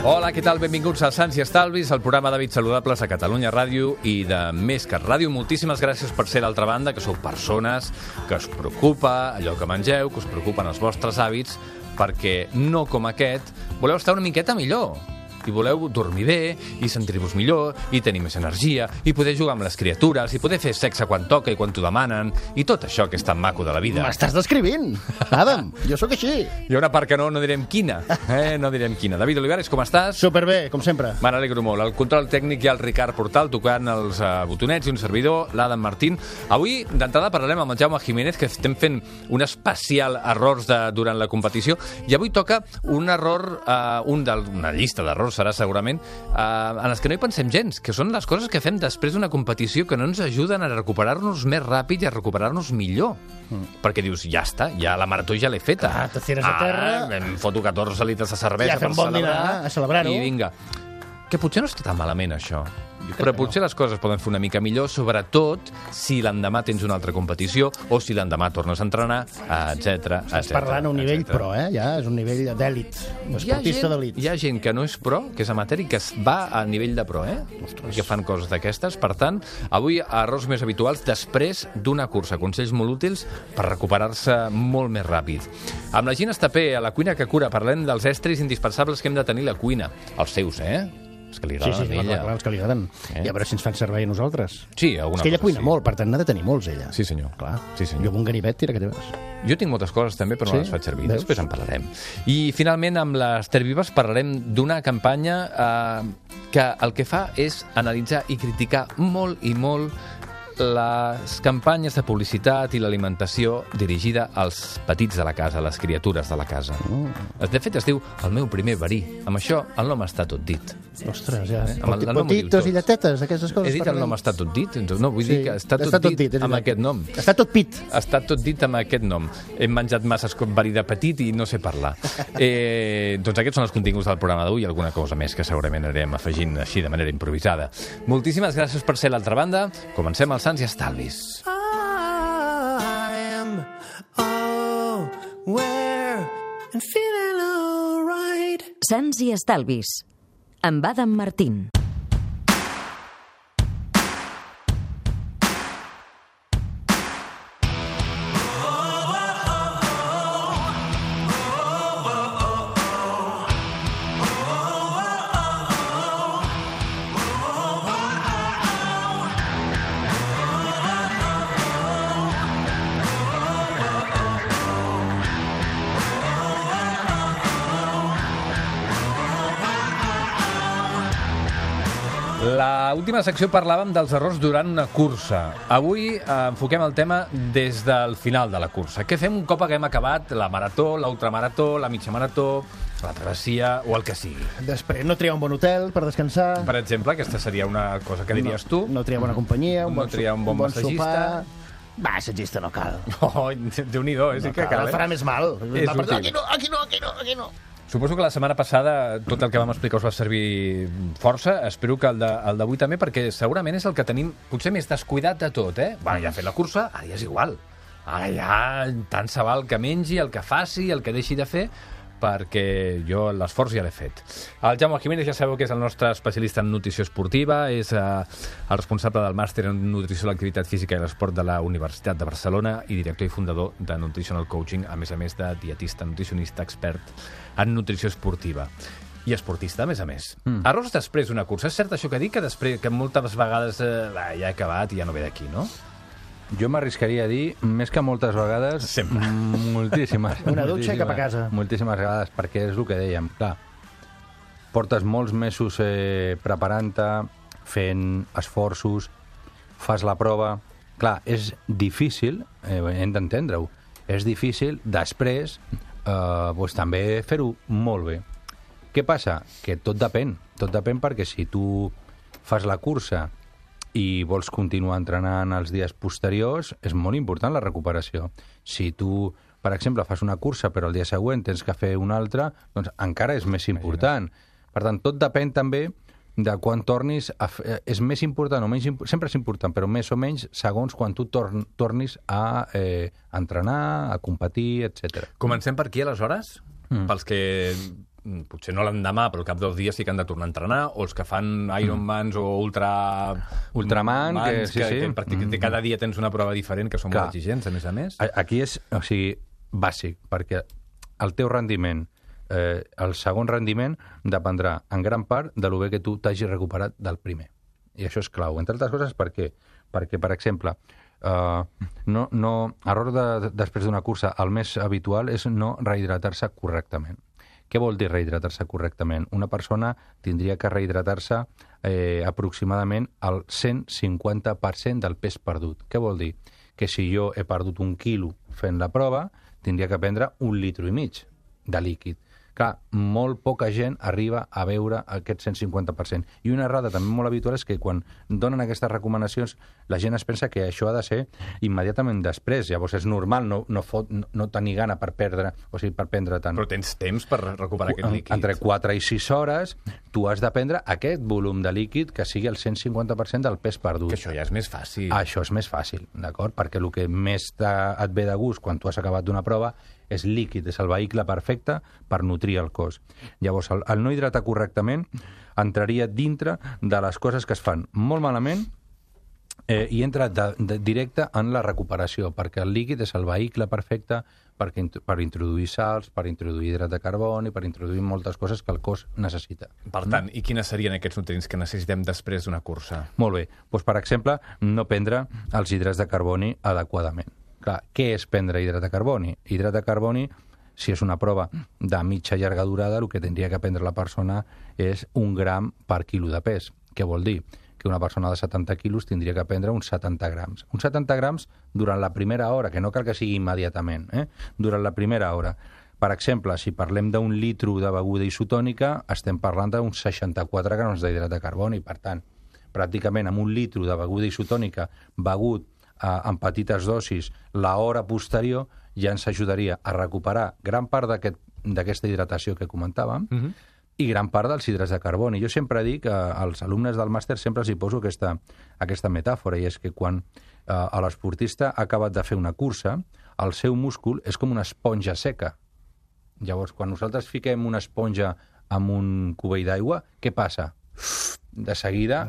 Hola, què tal? Benvinguts a Sants i Estalvis, el programa d'hàbits saludables a Catalunya Ràdio i de Més que Ràdio. Moltíssimes gràcies per ser l'altra banda, que sou persones que us preocupa allò que mengeu, que us preocupen els vostres hàbits, perquè no com aquest voleu estar una miqueta millor. I voleu dormir bé, i sentir-vos millor, i tenir més energia, i poder jugar amb les criatures, i poder fer sexe quan toca i quan t'ho demanen, i tot això que és tan maco de la vida. M'estàs descrivint, Adam, jo sóc així. Hi ha una part que no direm quina, no direm quina. David Olivares, com estàs? Superbé, com sempre. Me n'alegro molt. El control tècnic hi ha el Ricard Portal tocant els botonets i un servidor, l'Adam Martín. Avui, d'entrada, parlarem amb el Jaume Jiménez, que estem fent un especial errors durant la competició, i avui toca un error, una llista d'errors serà segurament, en els que no hi pensem gens, que són les coses que fem després d'una competició que no ens ajuden a recuperar-nos més ràpid i a recuperar-nos millor. Perquè dius, ja està, ja la marató ja l'he feta. Te tires a terra. Em foto 14 litres de cervesa ja per celebrar. A celebrar-ho. I vinga. Que potser no està tan malament, això. Però potser les coses poden fer una mica millor, sobretot si l'endemà tens una altra competició o si l'endemà tornes a entrenar, etc. Estàs parlant a un nivell pro, ja és un nivell d'èlit, esportista d'èlit. Hi ha gent que no és pro, que és amateur i que va a nivell de pro, que fan coses d'aquestes. Per tant, avui errors més habituals després d'una cursa. Consells molt útils per recuperar-se molt més ràpid. Amb la Gina Estapé, a la cuina que cura, parlem dels estris indispensables que hem de tenir a la cuina. Els seus, Els que li agraden a ella. Clar, els que li agraden. I a veure si ens fan servei a nosaltres. Sí, alguna cosa. És que ella cuina molt, per tant n'ha de tenir molts, ella. Sí, senyor. Clar. Sí, senyor. Jo amb un ganivet, tira que teves. Jo tinc moltes coses també, però no les faig servir. Després en parlarem. I finalment, amb les Tervives parlarem d'una campanya que el que fa és analitzar i criticar molt i molt les campanyes de publicitat i l'alimentació dirigida als petits de la casa, a les criatures de la casa. De fet, es diu El meu primer verí. Amb això, el nom està tot dit. Ostres, ja. Potitos i lletetes, aquestes coses. He dit el nom està tot dit? No, vull dir que està tot dit amb aquest nom. Està tot pit. Està tot dit amb aquest nom. Hem menjat masses verí de petit i no sé parlar. Doncs aquests són els continguts del programa d'avui i alguna cosa més que segurament anirem afegint així de manera improvisada. Moltíssimes gràcies per ser a l'altra banda. Comencem els Sants i Estalvis. Sants i Estalvis, amb Adam Martín. A l'última secció parlàvem dels errors durant una cursa. Avui enfoquem el tema des del final de la cursa. Què fem un cop haguem acabat la marató, l'ultramarató, la mitja marató, la travessia o el que sigui? Després no triar un bon hotel per descansar. Per exemple, aquesta seria una cosa que diries tu. No triar bona companyia, no triar un bon massatgista. Va, massatgista no cal. Oh, Déu-n'hi-do, sí que cal. El farà més mal. És útil. Aquí no. Suposo que la setmana passada tot el que vam explicar us va servir força. Espero que el d'avui també, perquè segurament és el que tenim potser més descuidat de tot, Bueno, ja he fet la cursa, ara ja és igual. Ara ja tant se val que mengi, el que faci, el que deixi de fer, perquè jo l'esforç ja l'he fet. El Jaume Jiménez ja sabeu que és el nostre especialista en nutrició esportiva, és el responsable del màster en nutrició de l'activitat física i l'esport de la Universitat de Barcelona i director i fundador de Nutritional Coaching, a més de dietista, nutricionista, expert en nutrició esportiva. I esportista, a més. Errors després d'una cursa. És cert això que dic, que moltes vegades ja he acabat i ja no ve d'aquí, no? Jo m'arriscaria a dir, més que moltes vegades, sempre. Moltíssimes. Una dutxa i cap a casa. Moltíssimes vegades, perquè és el que dèiem. Clar, portes molts mesos preparant-te, fent esforços, fas la prova. Clar, és difícil, hem d'entendre-ho, és difícil després també fer-ho molt bé. Què passa? Que tot depèn perquè si tu fas la cursa i vols continuar entrenant els dies posteriors, és molt important la recuperació. Si tu, per exemple, fas una cursa però el dia següent tens que fer una altra, doncs encara és més important. Per tant, tot depèn també de quan tornis a fer, és més important o menys sempre és important, però més o menys segons quan tu tornis a entrenar, a competir, etc. Comencem per aquí, aleshores? pels que potser no l'endemà, però al cap dels dies sí que han de tornar a entrenar, o els que fan Ironmans o Ultraman, que cada dia tens una prova diferent, que són molt exigents, a més. Aquí és, bàsic, perquè el teu rendiment, el segon rendiment, dependrà en gran part de lo bé que tu t'hagis recuperat del primer. I això és clau. Entre altres coses, per què? Perquè, per exemple, després d'una cursa, el més habitual és no rehidratar-se correctament. Què vol dir rehidratar-se correctament? Una persona tindria que rehidratar-se aproximadament al 150% del pes perdut. Què vol dir? Que si jo he perdut 1 quilo fent la prova, tindria que prendre 1,5 litres de líquid. Clar, molt poca gent arriba a veure aquest 150%. I una errada també molt habitual és que quan donen aquestes recomanacions la gent es pensa que això ha de ser immediatament després. Llavors és normal no tenir gana per prendre tant. Però tens temps per recuperar aquest líquid. Entre 4 i 6 hores tu has de prendre aquest volum de líquid que sigui el 150% del pes perdut. Que això ja és més fàcil. Això és més fàcil, d'acord? Perquè el que més et ve de gust quan tu has acabat d'una prova és líquid, és el vehicle perfecte per nutrir el cos. Llavors, el no hidratar correctament entraria dintre de les coses que es fan molt malament i entra directe en la recuperació, perquè el líquid és el vehicle perfecte per introduir sals, per introduir hidrat de carboni, per introduir moltes coses que el cos necessita. Per tant, i quines serien aquests nutrients que necessitem després d'una cursa? Molt bé. Doncs, per exemple, no prendre els hidrats de carboni adequadament. Clar, què és prendre hidrat de carboni? Hidrat de carboni, si és una prova de mitja i llarga durada, el que tindria que prendre la persona és 1 gram per quilo de pes. Què vol dir? Que una persona de 70 quilos tindria que prendre uns 70 grams. Uns 70 grams durant la primera hora, que no cal que sigui immediatament, durant la primera hora. Per exemple, si parlem d'1 litre de beguda isotònica, estem parlant d'uns 64 grams d'hidrat de carboni. Per tant, pràcticament amb 1 litre de beguda isotònica begut en petites dosis l'hora posterior ja ens ajudaria a recuperar gran part d'aquesta hidratació que comentàvem i gran part dels hidrats de carboni. Jo sempre dic als alumnes del màster sempre els hi poso aquesta metàfora, i és que quan l'esportista ha acabat de fer una cursa, el seu múscul és com una esponja seca. Llavors, quan nosaltres fiquem una esponja amb un cubell d'aigua, què passa? De seguida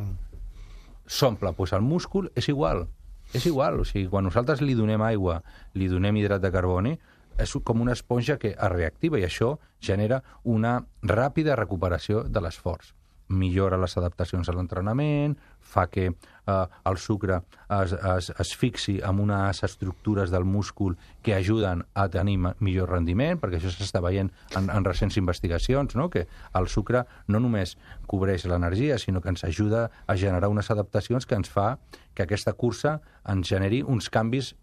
s'omple. Doncs el múscul és igual. És igual, o sigui, quan nosaltres li donem aigua, li donem hidrat de carboni, és com una esponja que es reactiva i això genera una ràpida recuperació de l'esforç. Millora les adaptacions a l'entrenament, fa que el sucre es fixi en unes estructures del múscul que ajuden a tenir millor rendiment, perquè això s'està veient en recents investigacions, no? Que el sucre no només cobreix l'energia, sinó que ens ajuda a generar unes adaptacions que ens fa que aquesta cursa ens generi uns canvis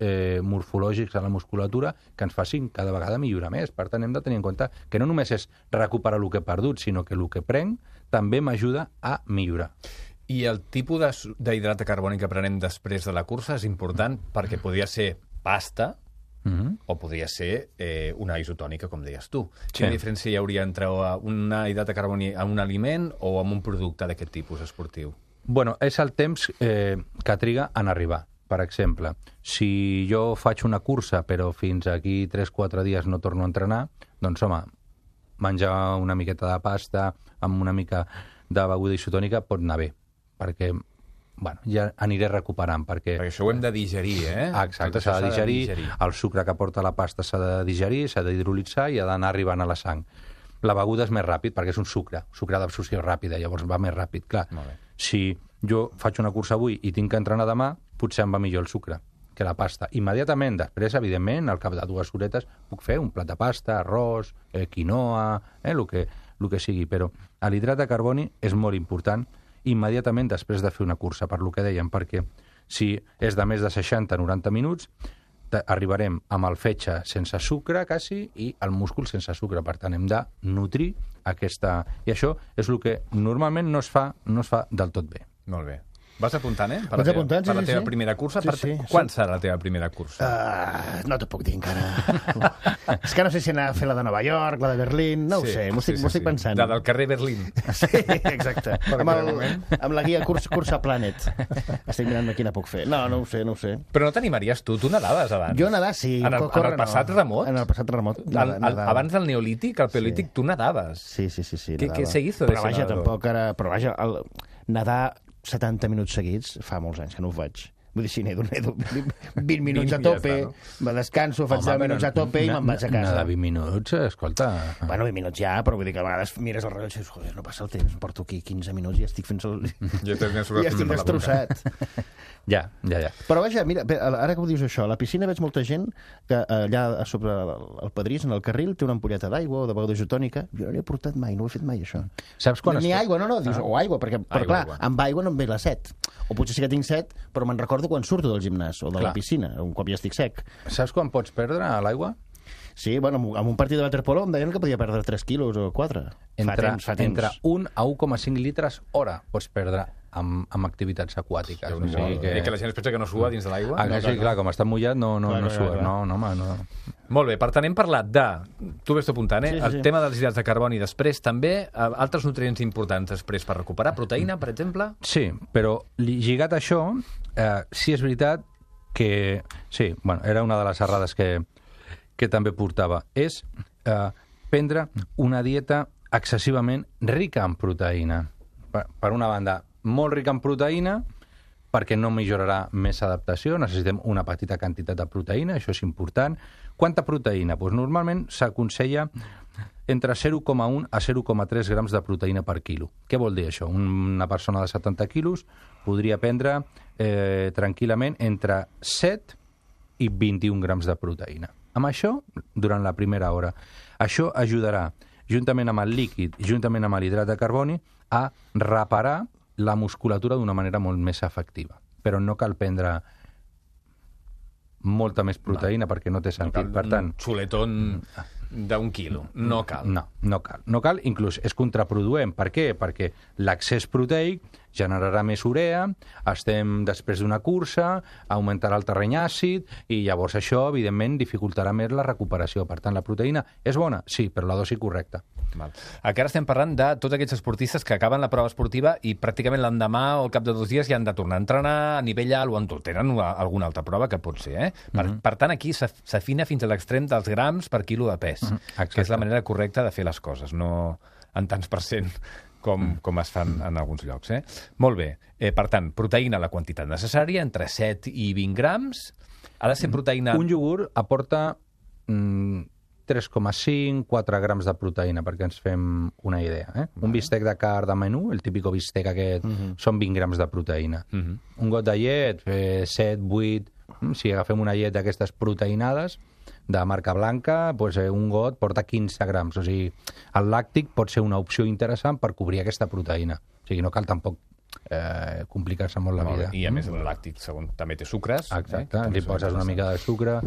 morfològics a la musculatura que ens facin cada vegada millorar més. Per tant, hem de tenir en compte que no només és recuperar el que he perdut, sinó que el que prenc també m'ajuda a millorar. I el tipus d'hidrat de carboni que prenem després de la cursa és important perquè podria ser pasta o podria ser una isotònica, com deies tu. Quina diferència hi hauria entre una hidrat de carboni en un aliment o en un producte d'aquest tipus esportiu? Bueno, és el temps que triga en arribar. Per exemple, si jo faig una cursa però fins aquí 3-4 dies no torno a entrenar, doncs home, menjar una miqueta de pasta amb una mica de beguda isotònica pot anar bé, perquè ja aniré recuperant. Perquè això ho hem de digerir, Exacte, s'ha de digerir, el sucre que porta la pasta s'ha de digerir, s'ha d'hidrolitzar i ha d'anar arribant a la sang. La beguda és més ràpid perquè és un sucre d'absorció ràpida, llavors va més ràpid. Clar, si jo faig una cursa avui i tinc que entrenar demà, potser em va millor el sucre que la pasta. Immediatament, després, evidentment, al cap de 2 horetes, puc fer un plat de pasta, arròs, quinoa, el que sigui, però l'hidrat de carboni és molt important immediatament després de fer una cursa, per lo que dèiem, perquè si és de més de 60-90 minuts, arribarem amb el fetge sense sucre, quasi, i el múscul sense sucre. Per tant, hem de nutrir aquesta... I això és el que normalment no es fa del tot bé. Molt bé. Vas apuntant, per Vaig apuntant, per la sí, teva sí. primera cursa. Sí. Quan serà la teva primera cursa? No t'ho puc dir encara. És que no sé si anar a fer la de Nova York, la de Berlín, no ho sé, m'ho estic pensant. La del carrer Berlín. Sí, exacte. Amb la guia Cursa Planet. Estic mirant quina puc fer. No ho sé. Però no t'animaries tu nadaves abans? Jo nedar, sí. En el passat remot? En el passat remot. Abans del neolític, el paleolític, tu nadaves. Sí, ¿Qué nedava. se hizo de Però ese vaja, nadador? tampoc ara... Però vaja, nedar 70 minuts seguits fa molts anys que no ho faig. Vull dir, si nedo 20 minuts a tope, me descanso, faig 10 minuts a tope i me'n vaig a casa. Nedar 20 minuts, escolta... Bueno, 20 minuts ja, però vull dir que a vegades mires el rellotge i dius, joder, no passa el temps, porto aquí 15 minuts i estic fent Ja estic destrossat. Ja. Però vaja, mira, ara que ho dius això, a la piscina veig molta gent que allà a sobre el pedrís, en el carril, té una ampolleta d'aigua o de beguda isotònica. Jo no n'he portat mai, no ho he fet mai, això. Saps quan Ni aigua, no, dius, o aigua, perquè clar, aigua. amb aigua no em ve la set. O potser sí que tinc set, però me'n recordo quan surto del gimnàs o de la piscina, un cop ja estic sec. Saps quan pots perdre a l'aigua? Sí, bueno, amb un partit de waterpolo em deien que podia perdre 3 quilos o 4. Entre temps. 1 a 1,5 litres hora pots perdre amb activitats aquàtiques. O sigui que la gent es pensa que no sua dins de l'aigua. Sí, clar, com està mullat no sua. No. Molt bé, per tant, hem parlat de... Tu ves apuntant, Sí. El tema dels hidrats de carboni després, també altres nutrients importants després per recuperar. Proteïna, per exemple? Sí, però lligat a això, sí és veritat que... Sí, bueno, era una de les errades que també portava. És prendre una dieta excessivament rica en proteïna. Per una banda, molt rica en proteïna, perquè no millorarà més adaptació, necessitem una petita quantitat de proteïna, això és important. Quanta proteïna? Doncs normalment s'aconsella entre 0,1 a 0,3 grams de proteïna per quilo. Què vol dir això? Una persona de 70 quilos podria prendre tranquil·lament entre 7 i 21 grams de proteïna. Amb això, durant la primera hora. Això ajudarà, juntament amb el líquid i juntament amb l'hidrat de carboni, a reparar la musculatura d'una manera molt més efectiva. Però no cal prendre molta més proteïna perquè no té sentit. Per tant, un xuletón d'1 quilo. No cal. No cal, inclús és contraproduent. Per què? Perquè l'excés proteic generarà més urea, estem després d'una cursa, augmentarà el terreny àcid i llavors això, evidentment, dificultarà més la recuperació. Per tant, la proteïna és bona? Sí, però la dosi correcta. Val. Aquí ara estem parlant de tots aquests esportistes que acaben la prova esportiva i pràcticament l'endemà o al cap de 2 dies ja han de tornar a entrenar a nivell alt o en tot. Tenen alguna altra prova que pot ser. Per tant, aquí s'afina fins a l'extrem dels grams per quilo de pes, que és la manera correcta de fer les coses, no en tants % com es fan en alguns llocs. Molt bé. Per tant, proteïna la quantitat necessària, entre 7 i 20 grams. Ha de ser proteïna... Un iogurt aporta 3,5-4 grams de proteïna, perquè ens fem una idea. Un bistec de carn de menú, el típic bistec aquest, són 20 grams de proteïna. Un got de llet, 7-8... Si agafem una llet d'aquestes proteïnades, de marca blanca, doncs un got porta 15 grams. O sigui, el làctic pot ser una opció interessant per cobrir aquesta proteïna. O sigui, no cal tampoc complicar-se molt la vida. I a més el làctic, segons, també té sucres. Exacte, li poses una mica de sucre,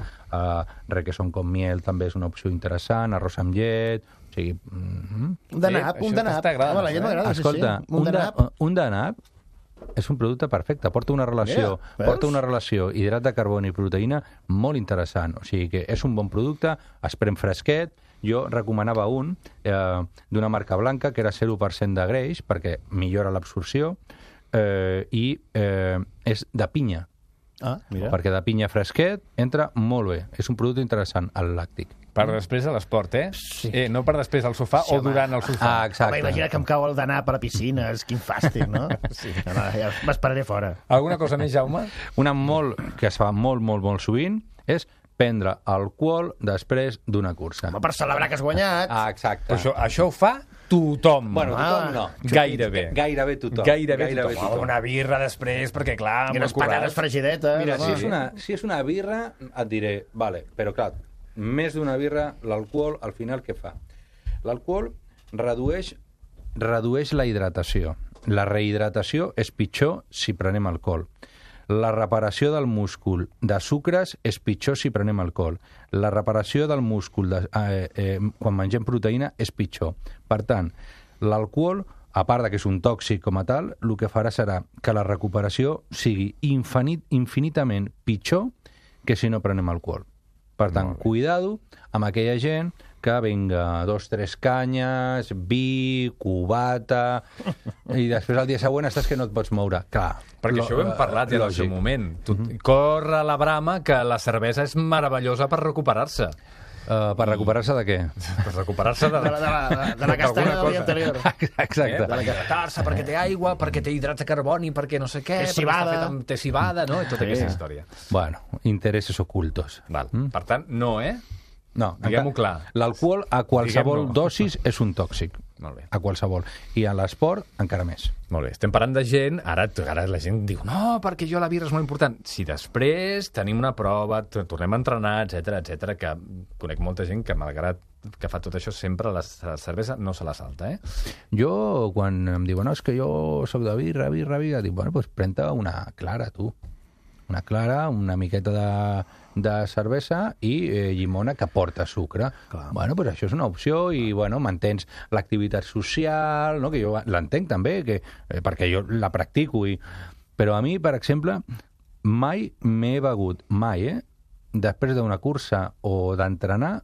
requesón con miel també és una opció interessant, arròs amb llet... O sigui... Un de nap. Home, la llet m'agrada. Escolta, un de nap és un producte perfecte, porta una relació hidrat de carboni i proteïna molt interessant, o sigui que és un bon producte, es pren fresquet. Jo recomanava un d'una marca blanca que era 0% de greix perquè millora l'absorció i és de pinya. Mira. Perquè de pinya fresquet entra molt bé, és un producte interessant, el làctic. Per després a l'esport, Sí. No per després al sofà o durant el sofà. Exacte. Home, imagina que em cau el d'anar a la piscina, és quin fàstic, no? Sí. Ja m'esperaré fora. Alguna cosa més, Jaume? Una que es fa molt sovint és prendre alcohol després d'una cursa. Home, per celebrar que has guanyat. Exacte. Però això ho fa tothom. Bueno, tothom no. Gairebé. Gairebé tothom. Gairebé tothom. Una birra després, perquè clar... I unes patates fregidetes. Mira, si és una birra, et diré, vale, però clar, més d'una birra, l'alcohol, al final, què fa? L'alcohol redueix la hidratació. La rehidratació és pitjor si prenem alcohol. La reparació del múscul de sucres és pitjor si prenem alcohol. La reparació del múscul quan mengem proteïna és pitjor. Per tant, l'alcohol a part de que és un tòxic com a tal, el que farà serà que la recuperació sigui infinitament pitjor que si no prenem alcohol. Per tant, cuidado amb aquella gent que vinga 2 o 3 canyes, vi, cubata, i després el dia següent estàs que no et pots moure. Clar. Perquè això ho hem parlat ja en el seu moment. Corre la brama que la cervesa és meravellosa per recuperar-se. Per recuperar-se de què? Per recuperar-se de la castanya del dia anterior. Exacte. Per hidratar-se, perquè té aigua, perquè té hidrats de carboni, perquè no sé què, té civada, té civada, no? I tota aquesta història. Bueno, interessos ocultos. Val. Per tant, no, No, diguem-ho clar. L'alcohol a qualsevol dosis és un tòxic. Molt bé. A qualsevol. I a l'esport, encara més. Molt bé. Estem parlant de gent... Ara la gent diu, no, perquè jo la birra és molt important. Si després tenim una prova, tornem a entrenar, etc, que conec molta gent que, malgrat que fa tot això, sempre la cervesa no se la salta, Jo, quan em diuen, no, és que jo soc de birra, dic, bueno, doncs pren-te una clara, tu. Una clara, una miqueta de cervesa i llimona que porta sucre. Clar. Bueno, pues això és una opció i, bueno, mantens l'activitat social, no? Que jo l'entenc també, perquè jo la practico. Però a mi, per exemple, mai m'he begut, després d'una cursa o d'entrenar,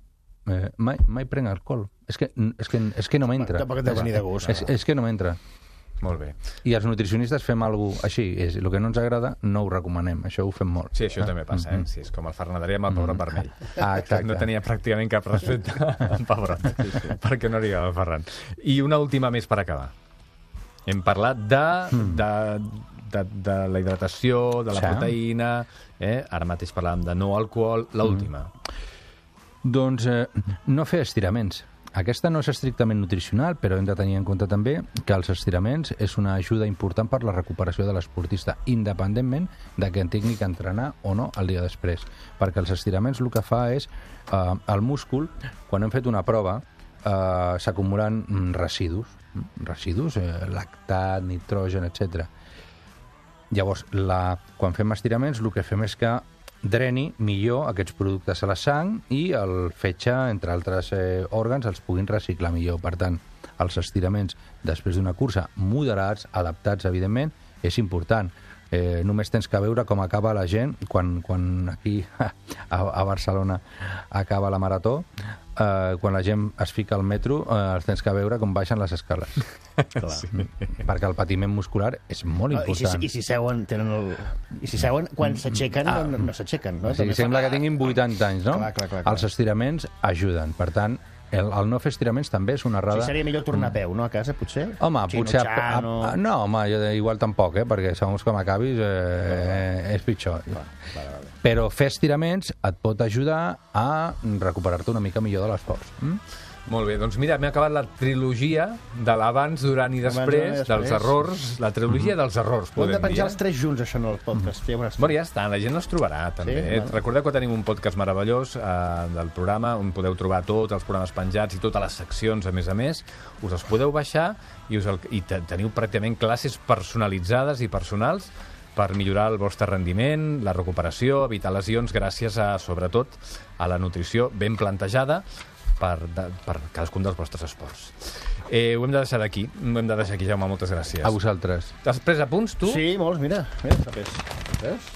mai prenc alcohol. És que no m'entra. Tampoc et deu venir de gust. És que no m'entra. Molt bé. I els nutricionistes fem alguna cosa així. El que no ens agrada no ho recomanem. Això ho fem molt. Sí, això també passa, Sí, és com el Fernaderia amb el pebrot vermell. Exacte. No tenia pràcticament cap respecte al pebrot, perquè no arribava el Ferran. I una última més per acabar. Hem parlat de la hidratació, de la proteïna, ara mateix parlàvem de no alcohol. L'última. Doncs no fer estiraments. Aquesta no és estrictament nutricional, però hem de tenir en compte també que els estiraments és una ajuda important per la recuperació de l'esportista, independentment de que en tingui que entrenar o no el dia després. Perquè els estiraments el que fa és, el múscul, quan hem fet una prova, s'acumulen residus, lactat, nitrogen, etc. Llavors, quan fem estiraments, el que fem és que dreni millor aquests productes a la sang i el fetge, entre altres òrgans, els puguin reciclar millor. Per tant, els estiraments després d'una cursa moderats, adaptats, evidentment, és important. Només tens que veure com acaba la gent quan aquí a Barcelona acaba la marató, quan la gent es fica al metro, els tens que veure com baixen les escales. Sí. Perquè el patiment muscular és molt important. I si seuen, quan s'aixequen, no s'aixequen. No? Sí, sembla que tinguin 80 anys, no? Clar. Els estiraments ajuden. Per tant, el no fer estiraments també és una errada... Sí, seria millor tornar a peu, no?, a casa, potser? Home, potser... No, home, jo igual tampoc, perquè segons com acabis és pitjor. Però fer estiraments et pot ajudar a recuperar-te una mica millor de l'esforç. Molt bé, doncs mira, m'he acabat la trilogia de l'abans, durant i després, dels errors, la trilogia dels errors, podem dir. Hem de penjar els 3 junts, això, en el podcast. Bueno, ja està, la gent els trobarà, també. Recordeu que tenim un podcast meravellós del programa, on podeu trobar tots els programes penjats i totes les seccions, a més, us els podeu baixar i teniu pràcticament classes personalitzades i personals per millorar el vostre rendiment, la recuperació, evitar lesions, gràcies a, sobretot, a la nutrició ben plantejada per cadascun dels vostres esports. Ho hem de deixar aquí, Jaume, moltes gràcies. A vosaltres. T'has pres apunts, tu? Sí, molts, mira. Veus?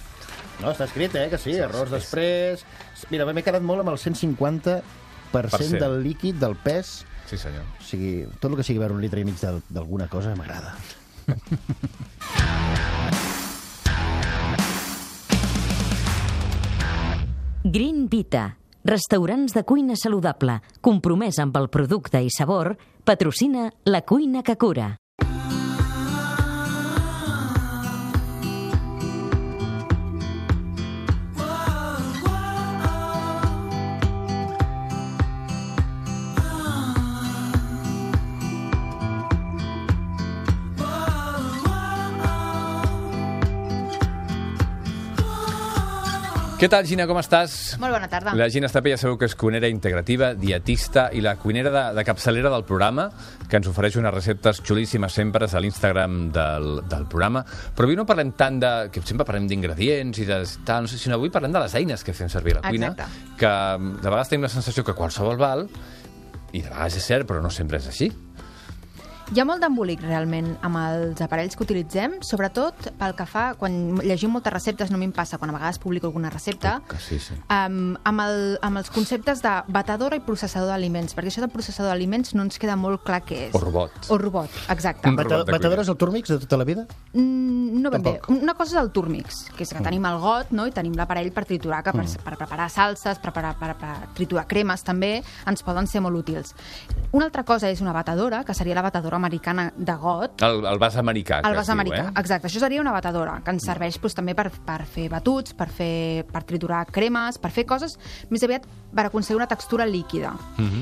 No, està escrit, que sí, errors després... Mira, m'he quedat molt amb el 150% del líquid, del pes. Sí, senyor. O sigui, tot el que sigui veure 1,5 litres d'alguna cosa m'agrada. Green Vita, restaurants de cuina saludable, compromès amb el producte i sabor, patrocina La Cuina que Cura. Què tal, Gina, com estàs? Molt bona tarda. La Gina Estapé ja sabeu que és cuinera integrativa, dietista i la cuinera de capçalera del programa, que ens ofereix unes receptes xulíssimes sempre a l'Instagram del programa. Però avui no parlem tant de... que sempre parlem d'ingredients i de tal, no sé, sinó avui parlem de les eines que fem servir a la cuina. Exacte. Que de vegades tenim la sensació que qualsevol val, i de vegades és cert, però no sempre és així. Hi ha molt d'embolic, realment, amb els aparells que utilitzem, sobretot pel que fa, quan llegim moltes receptes, no m'hi passa, quan a vegades publico alguna recepta, Sí. amb els conceptes de batedora i processador d'aliments, perquè això de processador d'aliments no ens queda molt clar què és. O robot. O robot, exacte. Un robot de Batedora cuina. és el Turmix de tota la vida? No ben bé. Tampoc. Una cosa és el Turmix, que és que tenim el got, no? I tenim l'aparell per triturar, que per preparar salses, per triturar cremes també, ens poden ser molt útils. Una altra cosa és una batedora, que seria la batedora americana de got. El vas americà, El vas americà, exacte. Això seria una batedora, que ens serveix també per fer batuts, per triturar cremes, per fer coses més aviat per aconseguir una textura líquida.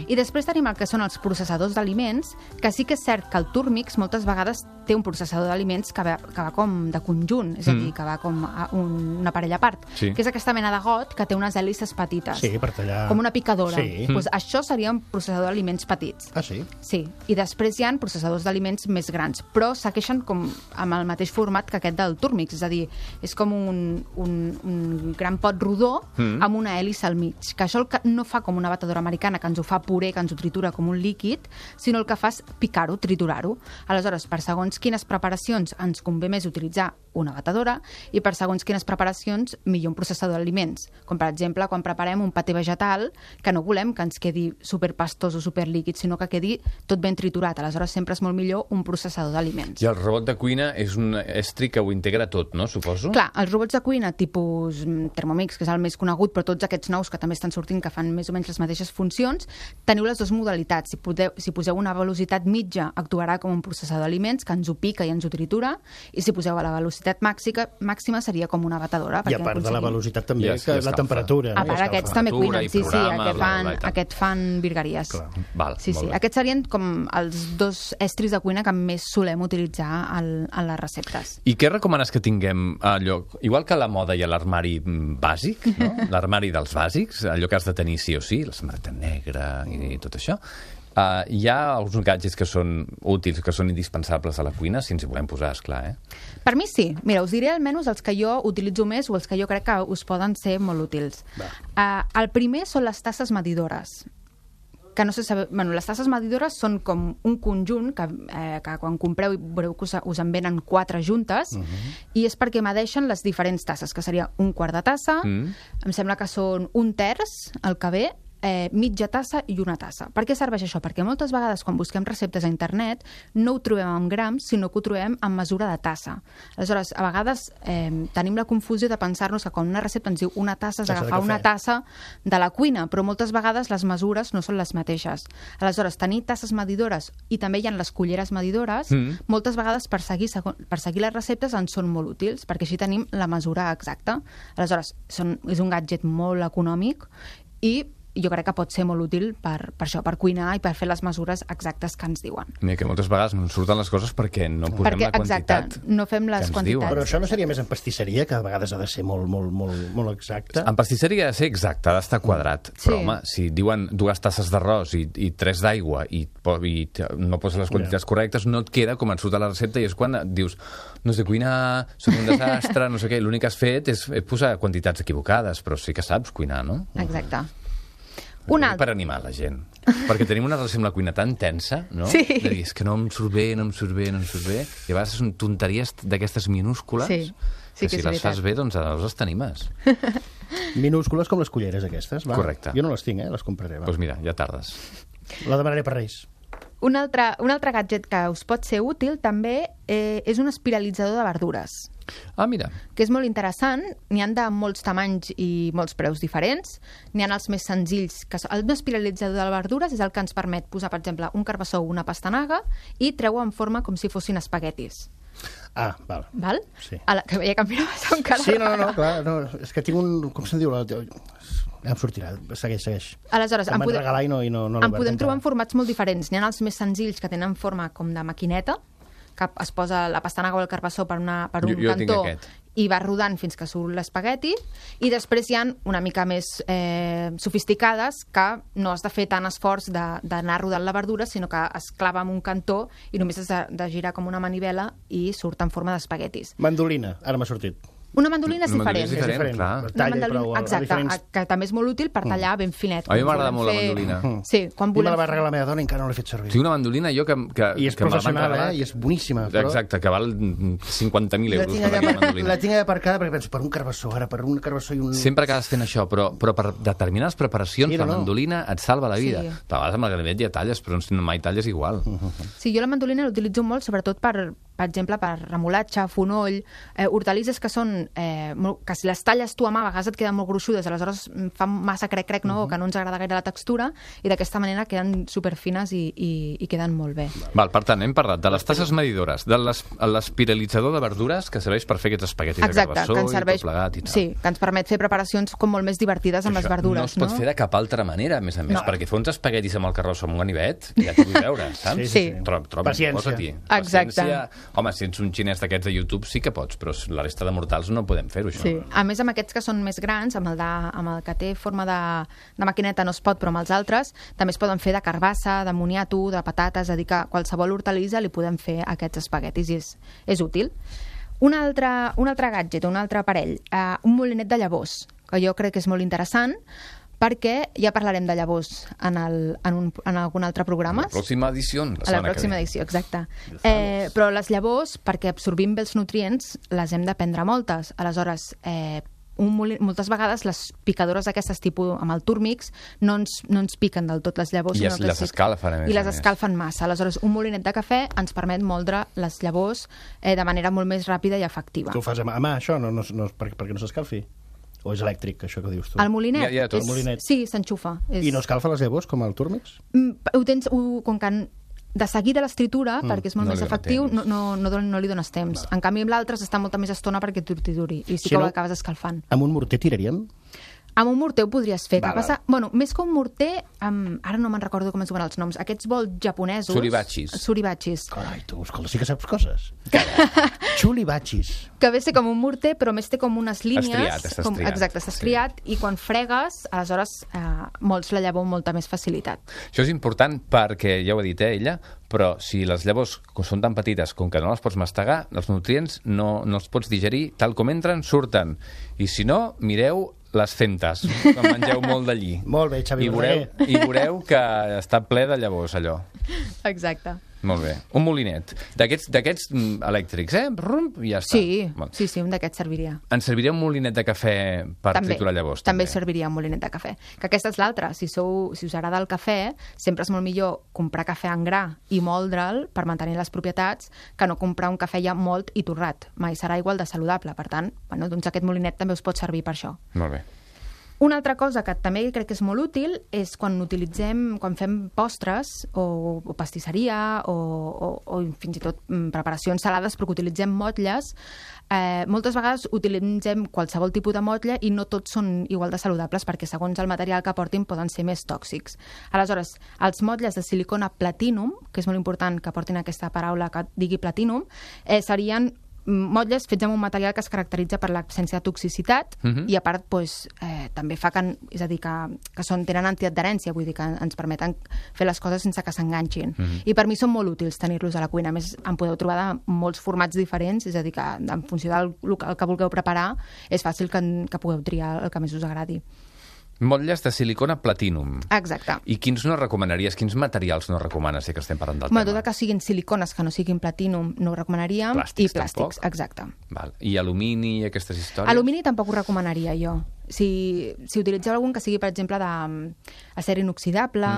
I després tenim el que són els processadors d'aliments, que sí que és cert que el Turmix moltes vegades té un processador d'aliments que va com de conjunt, és a dir, que va com a un aparell a part, Sí. que és aquesta mena de got que té unes hèlices petites. Sí, per tallar... Com una picadora. Sí. Pues això seria un processador d'aliments petits. Ah, sí? Sí, i després hi ha processadors d'aliments més grans, però segueixen com amb el mateix format que aquest del Turmix, és a dir, és com un gran pot rodó amb una hèlice al mig, que això el que no fa com una batedora americana, que ens ho fa puré, que ens ho tritura com un líquid, sinó el que fa és picar-ho, triturar-ho. Aleshores, per segons quines preparacions ens convé més utilitzar una batedora i per segons quines preparacions millor un processador d'aliments, com per exemple quan preparem un paté vegetal, que no volem que ens quedi superpastós o superlíquid, sinó que quedi tot ben triturat. Aleshores sempre és molt millor un processador d'aliments. I el robot de cuina és un estri que ho integra tot, no? Suposo? Clar, els robots de cuina tipus Thermomix, que és el més conegut, però tots aquests nous que també estan sortint, que fan més o menys les mateixes funcions, teniu les dues modalitats. Si poseu una velocitat mitja, actuarà com un processador d'aliments, que ens ho pica i ens ho tritura, i si poseu a la velocitat màxima seria com una batedora. I a part de la velocitat també, que la temperatura. A part, aquests també cuinen, sí, programa, aquest fan virgueries. Val, Sí, molt sí. bé. Aquests serien com els dos estris de cuina que més solem utilitzar a les receptes. I què recomanes que tinguem allò? Igual que a la moda hi ha l'armari bàsic, no? L'armari dels bàsics, allò que has de tenir sí o sí, la samarreta negra i tot això. Hi ha alguns gadgets que són útils, que són indispensables a la cuina, si ens hi volem posar, esclar, Per mi sí. Mira, us diré almenys els que jo utilitzo més o els que jo crec que us poden ser molt útils. El primer són les tasses medidores. Que no sé saber... Bueno, les tasses medidores són com un conjunt que quan compreu veureu que us en venen 4 juntes i és perquè medeixen les diferents tasses, que seria un quart de tassa, em sembla que són un terç, el que ve, mitja tassa i una tassa. Per què serveix això? Perquè moltes vegades quan busquem receptes a internet no ho trobem en grams, sinó que ho trobem en mesura de tassa. Aleshores, a vegades tenim la confusió de pensar-nos que quan una recepta ens diu una tassa és agafar una tassa de la cuina, però moltes vegades les mesures no són les mateixes. Aleshores, tenir tasses medidores i també hi ha les culleres medidores, moltes vegades per seguir les receptes ens són molt útils, perquè així tenim la mesura exacta. Aleshores, és un gadget molt econòmic i jo crec que pot ser molt útil per això, per cuinar i per fer les mesures exactes que ens diuen. Mira, que moltes vegades no ens surten les coses perquè no posem la quantitat. Exacte, no fem les quantitats. Però això no seria més en pastisseria, que a vegades ha de ser molt exacte? En pastisseria ha de ser exacte, ha d'estar quadrat. Sí. Però, home, si diuen 2 tasses d'arròs i 3 d'aigua i no poses les quantitats correctes, no et queda com et surt a la recepta i és quan et dius no sé cuinar, soc un desastre, no sé què. L'únic que has fet és posar quantitats equivocades, però sí que saps cuinar, no? Exacte. Per animar la gent. Perquè tenim una relació amb la cuina tan tensa, no? Sí. De dir, és que no em surt bé. I a vegades són tonteries d'aquestes minúscules Sí, que que si és les fas veritat. bé, doncs aleshores t'animes. Minúscules com les culleres aquestes, va? Correcte. Jo no les tinc, les compraré, va. Doncs mira, ja tardes. La demanaré per Reis. Un altre gadget que us pot ser útil també és un espiralitzador de verdures, Mira. que és molt interessant. N'hi han de molts tamanys i molts preus diferents. N'hi ha els més senzills. El espiralitzador de verdures és el que ens permet posar, per exemple, un carbassó o una pastanaga i treu-ho en forma com si fossin espaguetis. Val. Val? Sí. Que veia que em miraves amb cara. Sí, no, clar, no, és que tinc un... Com se'n diu? Ja em sortirà, segueix. Aleshores, em van regalar i no en podem trobar en formats molt diferents. N'hi ha els més senzills que tenen forma com de maquineta, que es posa la pastanaga o el carbassó per un Jo tinc cantó aquest. i va rodant fins que surt l'espagueti, i després hi ha una mica més sofisticades que no has de fer tant esforç d'anar rodant la verdura, sinó que es clava en un cantó i només has de girar com una manivela i surt en forma d'espaguetis. Mandolina, ara m'ha sortit. Una mandolina és diferent. És diferent, clar. Una mandolina, exacte, que també és molt útil per tallar ben finet. A mi m'agrada molt la mandolina. Sí, quan volem... me la va regalar la meva dona i encara no l'he fet servir. Sí, una mandolina jo que I és professional, i és boníssima. Però... Exacte, que val 50.000 euros. La tinc aparcada perquè penso, per un carbassó, ara per un carbassó i un... Sempre acabes fent això, però per determinades preparacions la mandolina et salva la vida. A vegades amb el ganivet ja talles, però mai talles igual. Sí, jo la mandolina l'utilitzo molt, sobretot per exemple, per remolatge, fonoll, hortalisses que són... que si les talles tu a mà, a vegades et queden molt gruixudes, aleshores fan massa crec-crec, no? Que no ens agrada gaire la textura, i d'aquesta manera queden superfines i queden molt bé. Val, per tant, hem parlat de les tasses medidores, de l'espiralitzador de verdures, que serveix per fer aquests espaguetis de carbassó i tot plegat i tal. Sí, que ens permet fer preparacions com molt més divertides amb les verdures. No es pot fer de cap altra manera, a més, perquè fer uns espaguetis amb el carbassó amb un ganivet, ja t'ho vull veure, saps? Sí. Paciència. Exacte. Home, si ets un xinès d'aquests de YouTube sí que pots, però la resta de mortals no podem fer-ho, això. Sí. A més, amb aquests que són més grans, amb el que té forma de maquineta no es pot, però amb els altres també es poden fer de carbassa, de moniato, de patates, és a dir, que qualsevol hortalissa li podem fer aquests espaguetis i és útil. Un altre gadget, un altre aparell, un molinet de llavors, que jo crec que és molt interessant, perquè ja parlarem de llavors en algun altre programa. La pròxima edició. A la pròxima edició, exacte. Però les llavors, perquè absorbim bé els nutrients, les hem de prendre moltes. Aleshores, moltes vegades les picadores d'aquestes tipus amb el túrmix no ens piquen del tot les llavors. I les escalfen, I les escalfen massa. Aleshores, un molinet de cafè ens permet moldre les llavors de manera molt més ràpida i efectiva. Tu ho fas a mà, això? Perquè no s'escalfi? O és elèctric, això que dius tu? El molinet? El molinet. Sí, s'enxufa. I no escalfa les llavors, com el túrmix? Com que de seguida l'estritura, perquè és molt més efectiu, no li dones temps. En canvi, amb l'altre s'està molta més estona perquè t'urtiduri, i sí que ho acabes escalfant. Amb un morter tiraríem? Amb un morter ho podries fer. Que passa, més que un morter, ara no me'n recordo com es diuen els noms, aquests bols japonesos... Suribachis. Carai, tu, escolta, sí que saps coses. Chulibachis. Que ve ser com un morter, però més té com unes línies... Està estriat. Exacte, està estriat, i quan fregues, aleshores molts la llavor amb molta més facilitat. Això és important perquè, ja ho ha dit ella, però si les llavors són tan petites com que no les pots mastegar, els nutrients no els pots digerir, tal com entren, surten. I si no, mireu les centes, que mengeu molt d'allí. Molt bé, Xavi. I veureu que està ple de llavors, allò. Exacte. Molt bé. Un molinet. D'aquests elèctrics, i ja està. Sí, un d'aquests serviria. Ens serviria un molinet de cafè per triturar llavors? També serviria un molinet de cafè. Que aquesta és l'altra. Si us agrada el cafè, sempre és molt millor comprar cafè en gra i moldre'l per mantenir les propietats que no comprar un cafè ja molt i torrat. Mai serà igual de saludable. Per tant, doncs aquest molinet també us pot servir per això. Molt bé. Una altra cosa que també crec que és molt útil és quan fem postres o pastisseria o fins i tot preparacions salades, però que utilitzem motlles. Moltes vegades utilitzem qualsevol tipus de motlle i no tots són igual de saludables perquè segons el material que portin poden ser més tòxics. Aleshores, els motlles de silicona platinum, que és molt important que portin aquesta paraula que digui platinum, serien motlles fets amb un material que es caracteritza per l'absència de toxicitat i a part també fa és a dir, que tenen antiadherència, vull dir que ens permeten fer les coses sense que s'enganxin. I per mi són molt útils tenir-los a la cuina. A més, en podeu trobar de molts formats diferents, és a dir, que en funció del que vulgueu preparar és fàcil que pugueu triar el que més us agradi. Motlles de silicona platinum. Exacte. I quins no recomanaries, quins materials no recomanes, que estem parlant del tema? Tot que siguin silicones, que no siguin platinum, no ho recomanaríem. Plàstics, i plàstics, exacte. Val. I alumini i aquestes històries? Alumini tampoc ho recomanaria jo. Si utilitzeu algun que sigui, per exemple, d'acer inoxidable,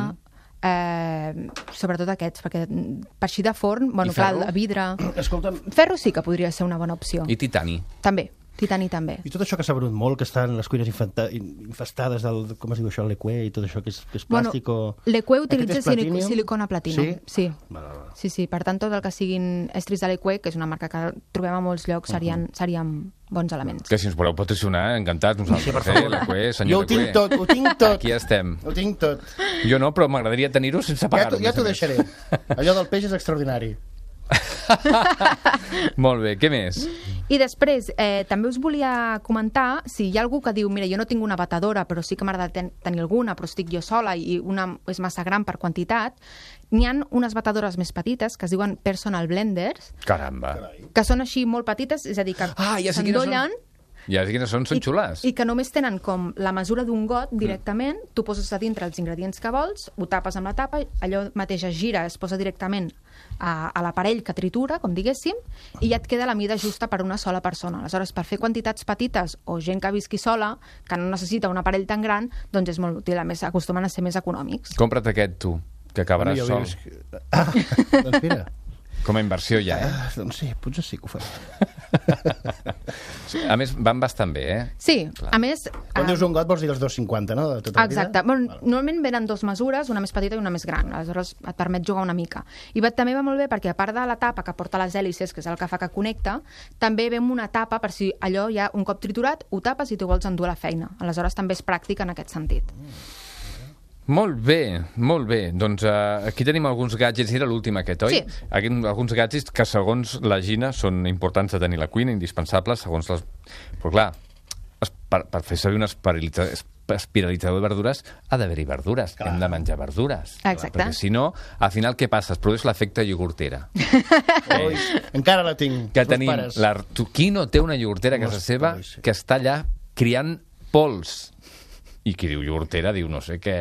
sobretot aquests, perquè per així de forn, clar, el vidre... Escolta'm... Ferro sí que podria ser una bona opció. I titani? També. Titani també. I tot això que s'ha venut molt, que estan les cuines infestades del, com es diu això, l'equé i tot això que és plàstic o... L'equé utilitza silicona platinum. Sí? Sí. Per tant, tot el que siguin estris de l'equé, que és una marca que trobem a molts llocs, serien bons elements. Que si ens voleu patrocinar, encantats nosaltres. L'equé, senyor jo ho tinc tot. Aquí estem. Ho tinc tot. Jo no, però m'agradaria tenir-ho sense pagar-ho. Ja t'ho deixaré. Allò del peix és extraordinari. Molt bé, què més? I després, també us volia comentar, si hi ha algú que diu, mira, jo no tinc una batedora, però sí que m'agrada tenir alguna, però estic jo sola i una és massa gran per quantitat, n'hi ha unes batedores més petites que es diuen personal blenders. Caramba. Que són així molt petites, és a dir, que s'endollen I ara quines són xulars. I que només tenen com la mesura d'un got directament, tu poses a dintre els ingredients que vols, ho tapes amb la tapa, allò mateix es gira, es posa directament a l'aparell que tritura, com diguéssim, i ja et queda la mida justa per una sola persona. Aleshores, per fer quantitats petites o gent que visqui sola, que no necessita un aparell tan gran, doncs és molt útil. A més, acostumen a ser més econòmics. Compra't aquest, tu, que acabaràs sol. Doncs mira. Com a inversió ja, Doncs sí, potser sí que ho faré. A més, van bastant bé, Sí, clar. A més... Quan dius un got vols dir els 2,50, no? De tota la vida? Exacte. Bueno, normalment venen dues mesures, una més petita i una més gran. Aleshores et permet jugar una mica. I també va molt bé perquè, a part de la tapa que porta les hèlices, que és el que fa que connecta, també ve amb una tapa per si allò ja un cop triturat ho tapes i t'ho vols endur a la feina. Aleshores també és pràctic en aquest sentit. Molt bé, molt bé. Doncs aquí tenim alguns gadgets, era l'últim aquest, oi? Sí. Alguns gadgets que, segons la Gina, són importants de tenir a la cuina, indispensables, segons les... Però clar, per fer servir un espiralitzador de verdures ha d'haver-hi verdures. Clar. Hem de menjar verdures. Exacte. Perquè si no, al final què passa? Es produeix l'efecte iogurtera. Encara la tinc. Que tenim... Qui no té una iogurtera a casa seva que està allà criant pols? I qui diu iogurtera diu no sé què...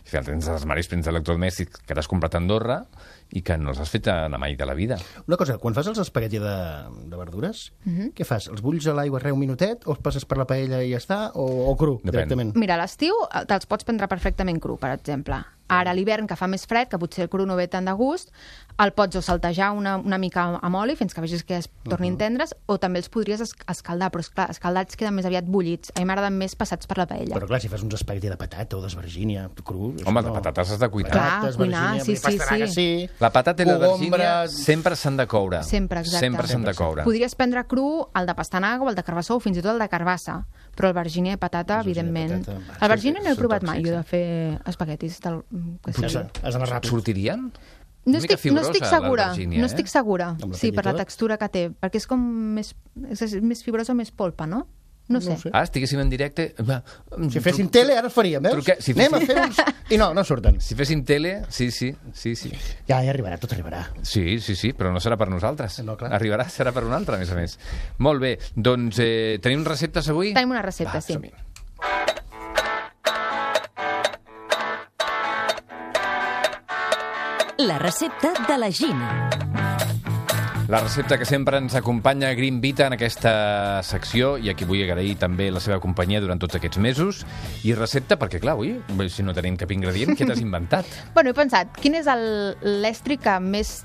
Si tens els armaris plens d'electrodomèstics que t'has comprat a Andorra i que no els has fet anar mai de la vida. Una cosa, quan fas els espagueti de verdures, què fas? Els bulls a l'aigua un minutet o els passes per la paella i ja està? O cru, Depèn. directament? Mira, a l'estiu te'ls pots prendre perfectament cru, per exemple. Ara, a l'hivern, que fa més fred, que potser el cru no ve tant de gust, el pots o saltejar una mica amb oli fins que vegis que es tornin tendres, o també els podries escaldar, però esclar, escaldats queden més aviat bullits. A mi m'agraden més passats per la paella. Però clar, si fas uns espagueti de patata o d'esvergínia cru... Home, de patates has de cuinar. Clar, cuinar, sí. La patata i la Cogombra... vergínia sempre s'han de coure. Sempre, exacte. Sempre s'han de coure. Podries prendre cru el de pastanaga o el de carbassó o fins i tot el de carbassa, però el vergínia i patata, evidentment. El vergínia no he provat mai, jo, de fer espaguetis. Has d'anar ràpid. Sortirien? No estic segura, no estic segura. Sí, per la tot? textura que té, perquè és com més fibrosa, més polpa, no? No sé. Estiguéssim en directe... Si féssim tele, ara el faríem, veus? Anem a fer uns... I no surten. Si féssim tele, sí. Ja arribarà, tot arribarà. Sí, però no serà per nosaltres. No, clar. Arribarà, serà per un altre, a més. Molt bé, doncs tenim receptes avui? Tenim una recepta, sí. Som-hi. La recepta de la Gina. La recepta que sempre ens acompanya a Green Vita en aquesta secció, i aquí vull agrair també la seva companyia durant tots aquests mesos. I recepta, perquè clar, avui, si no tenim cap ingredient, què t'has inventat? Bueno, he pensat, quin és l'estri que més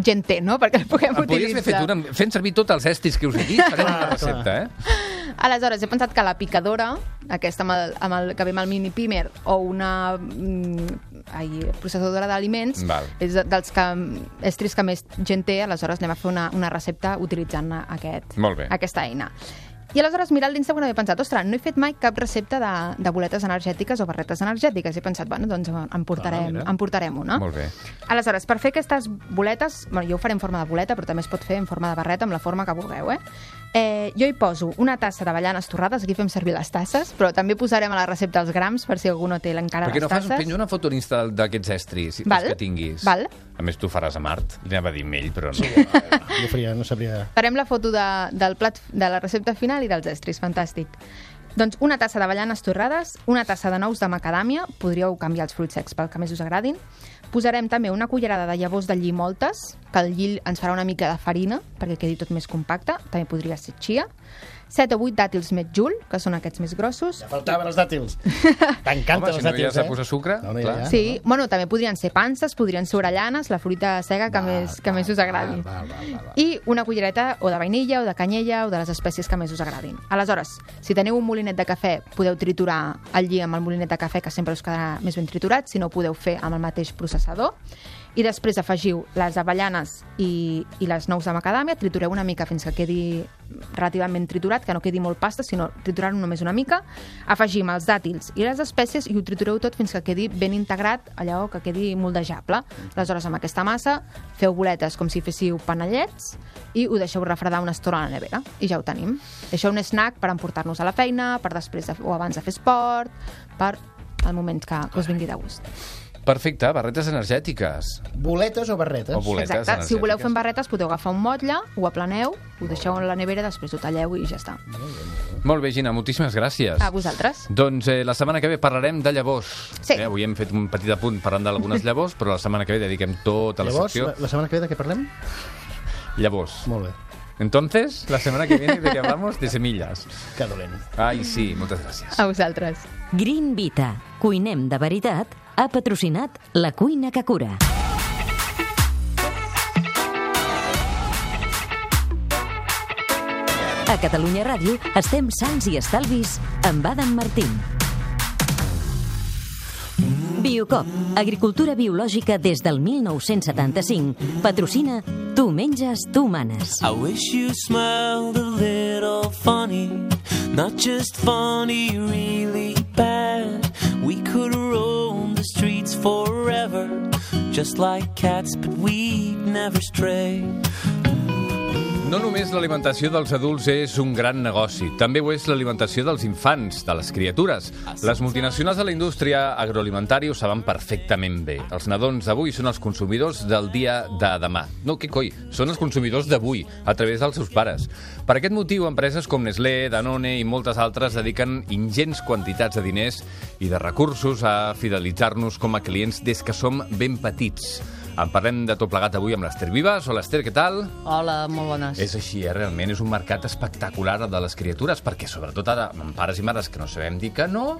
gent té, no?, perquè el puguem utilitzar. Podries haver fent servir tots els estris que us he dit, farem una recepta, Aleshores, he pensat que la picadora, aquesta que ve amb el mini pimer, o una processadora d'aliments, és dels estris que més gent té, aleshores anem a fer una recepta utilitzant aquesta eina. I aleshores, mirant l'Instagram, he pensat, ostres, no he fet mai cap recepta de boletes energètiques o barretes energètiques. He pensat, bueno, doncs en portarem una. Molt bé. Aleshores, per fer aquestes boletes, bueno, jo ho faré en forma de boleta, però també es pot fer en forma de barreta, amb la forma que vulgueu, jo hi poso una tassa d'avellanes torrades, aquí fem servir les tasses, però també posarem a la recepta els grams, per si algú no té encara les tasses. Perquè no fas una foto en Insta d'aquests estris, els que tinguis. Val. A més, tu faràs a Mart. Li anava a dir amb ell, però no. Jo faria, no sabria... Farem la foto del plat, de la recepta final i dels estris, fantàstic. Doncs una tassa d'avellanes torrades, una tassa de nous de macadàmia, podríeu canviar els fruits secs pel que més us agradin. Posarem també una cullerada de llavors de lli moltes, que el lli ens farà una mica de farina, perquè quedi tot més compacte, també podria ser chia. 7 o 8 dàtils metjul, que són aquests més grossos. Ja faltaven els dàtils. T'encanten els dàtils, si no hi has de posar sucre, clar. Sí, bueno, també podrien ser panses, podrien ser orellanes, la fruita seca que més us agradi. I una cullereta o de vainilla, o de canyella, o de les espècies que més us agradin. Aleshores, si teniu un molinet de cafè, podeu triturar el lli amb el molinet de cafè, que sempre us quedarà més ben triturat, si no, podeu fer amb el mateix processador. I després afegiu les avellanes i les nous de macadàmia, tritureu una mica fins que quedi relativament triturat, que no quedi molt pasta, sinó triturar-ho només una mica. Afegim els dàtils i les espècies i ho tritureu tot fins que quedi ben integrat, allò que quedi moldejable. Aleshores, amb aquesta massa, feu boletes com si féssiu panellets i ho deixeu refredar una estona a la nevera. I ja ho tenim. Deixeu un snack per emportar-nos a la feina, per després o abans de fer esport, per al moment que us vingui de gust. Perfecte, barretes energètiques. Boletes o barretes? O boletes Exacte, si energètiques. voleu fer amb barretes podeu agafar un motlle, ho aplaneu, ho deixeu a la nevera, després ho talleu i ja està. Molt bé, Gina, moltíssimes gràcies. A vosaltres. Doncs la setmana que ve parlarem de llavors. Sí. Avui hem fet un petit apunt parlant d'algunes llavors, però la setmana que ve dediquem tota la Llavors, secció... la setmana que ve de què parlem? Llavors. Molt bé. Entonces, la semana que viene de qué hablamos? De semillas. Que dolent. Ai, sí, moltes gràcies. A vosaltres. Green Vita. Cuinem de veritat. Ha patrocinat La Cuina que Cura. A Catalunya Ràdio estem sants i estalvis amb Adam Martín. Biocop, agricultura biològica des del 1975. Patrocina Tu menges, tu manes. I wish you smiled a little funny, not just funny, really bad. We could roam the streets forever, just like cats, but we'd never stray. No només l'alimentació dels adults és un gran negoci, també ho és l'alimentació dels infants, de les criatures. Les multinacionals de la indústria agroalimentària ho saben perfectament bé. Els nadons d'avui són els consumidors del dia de demà. No, què coi? Són els consumidors d'avui, a través dels seus pares. Per aquest motiu, empreses com Nestlé, Danone i moltes altres dediquen ingents quantitats de diners i de recursos a fidelitzar-nos com a clients des que som ben petits. En parlem de tot plegat avui amb l'Ester Vives. Hola, Ester, què tal? Hola, molt bones. És així, realment és un mercat espectacular el de les criatures, perquè sobretot ara, amb pares i mares que no sabem dir que no...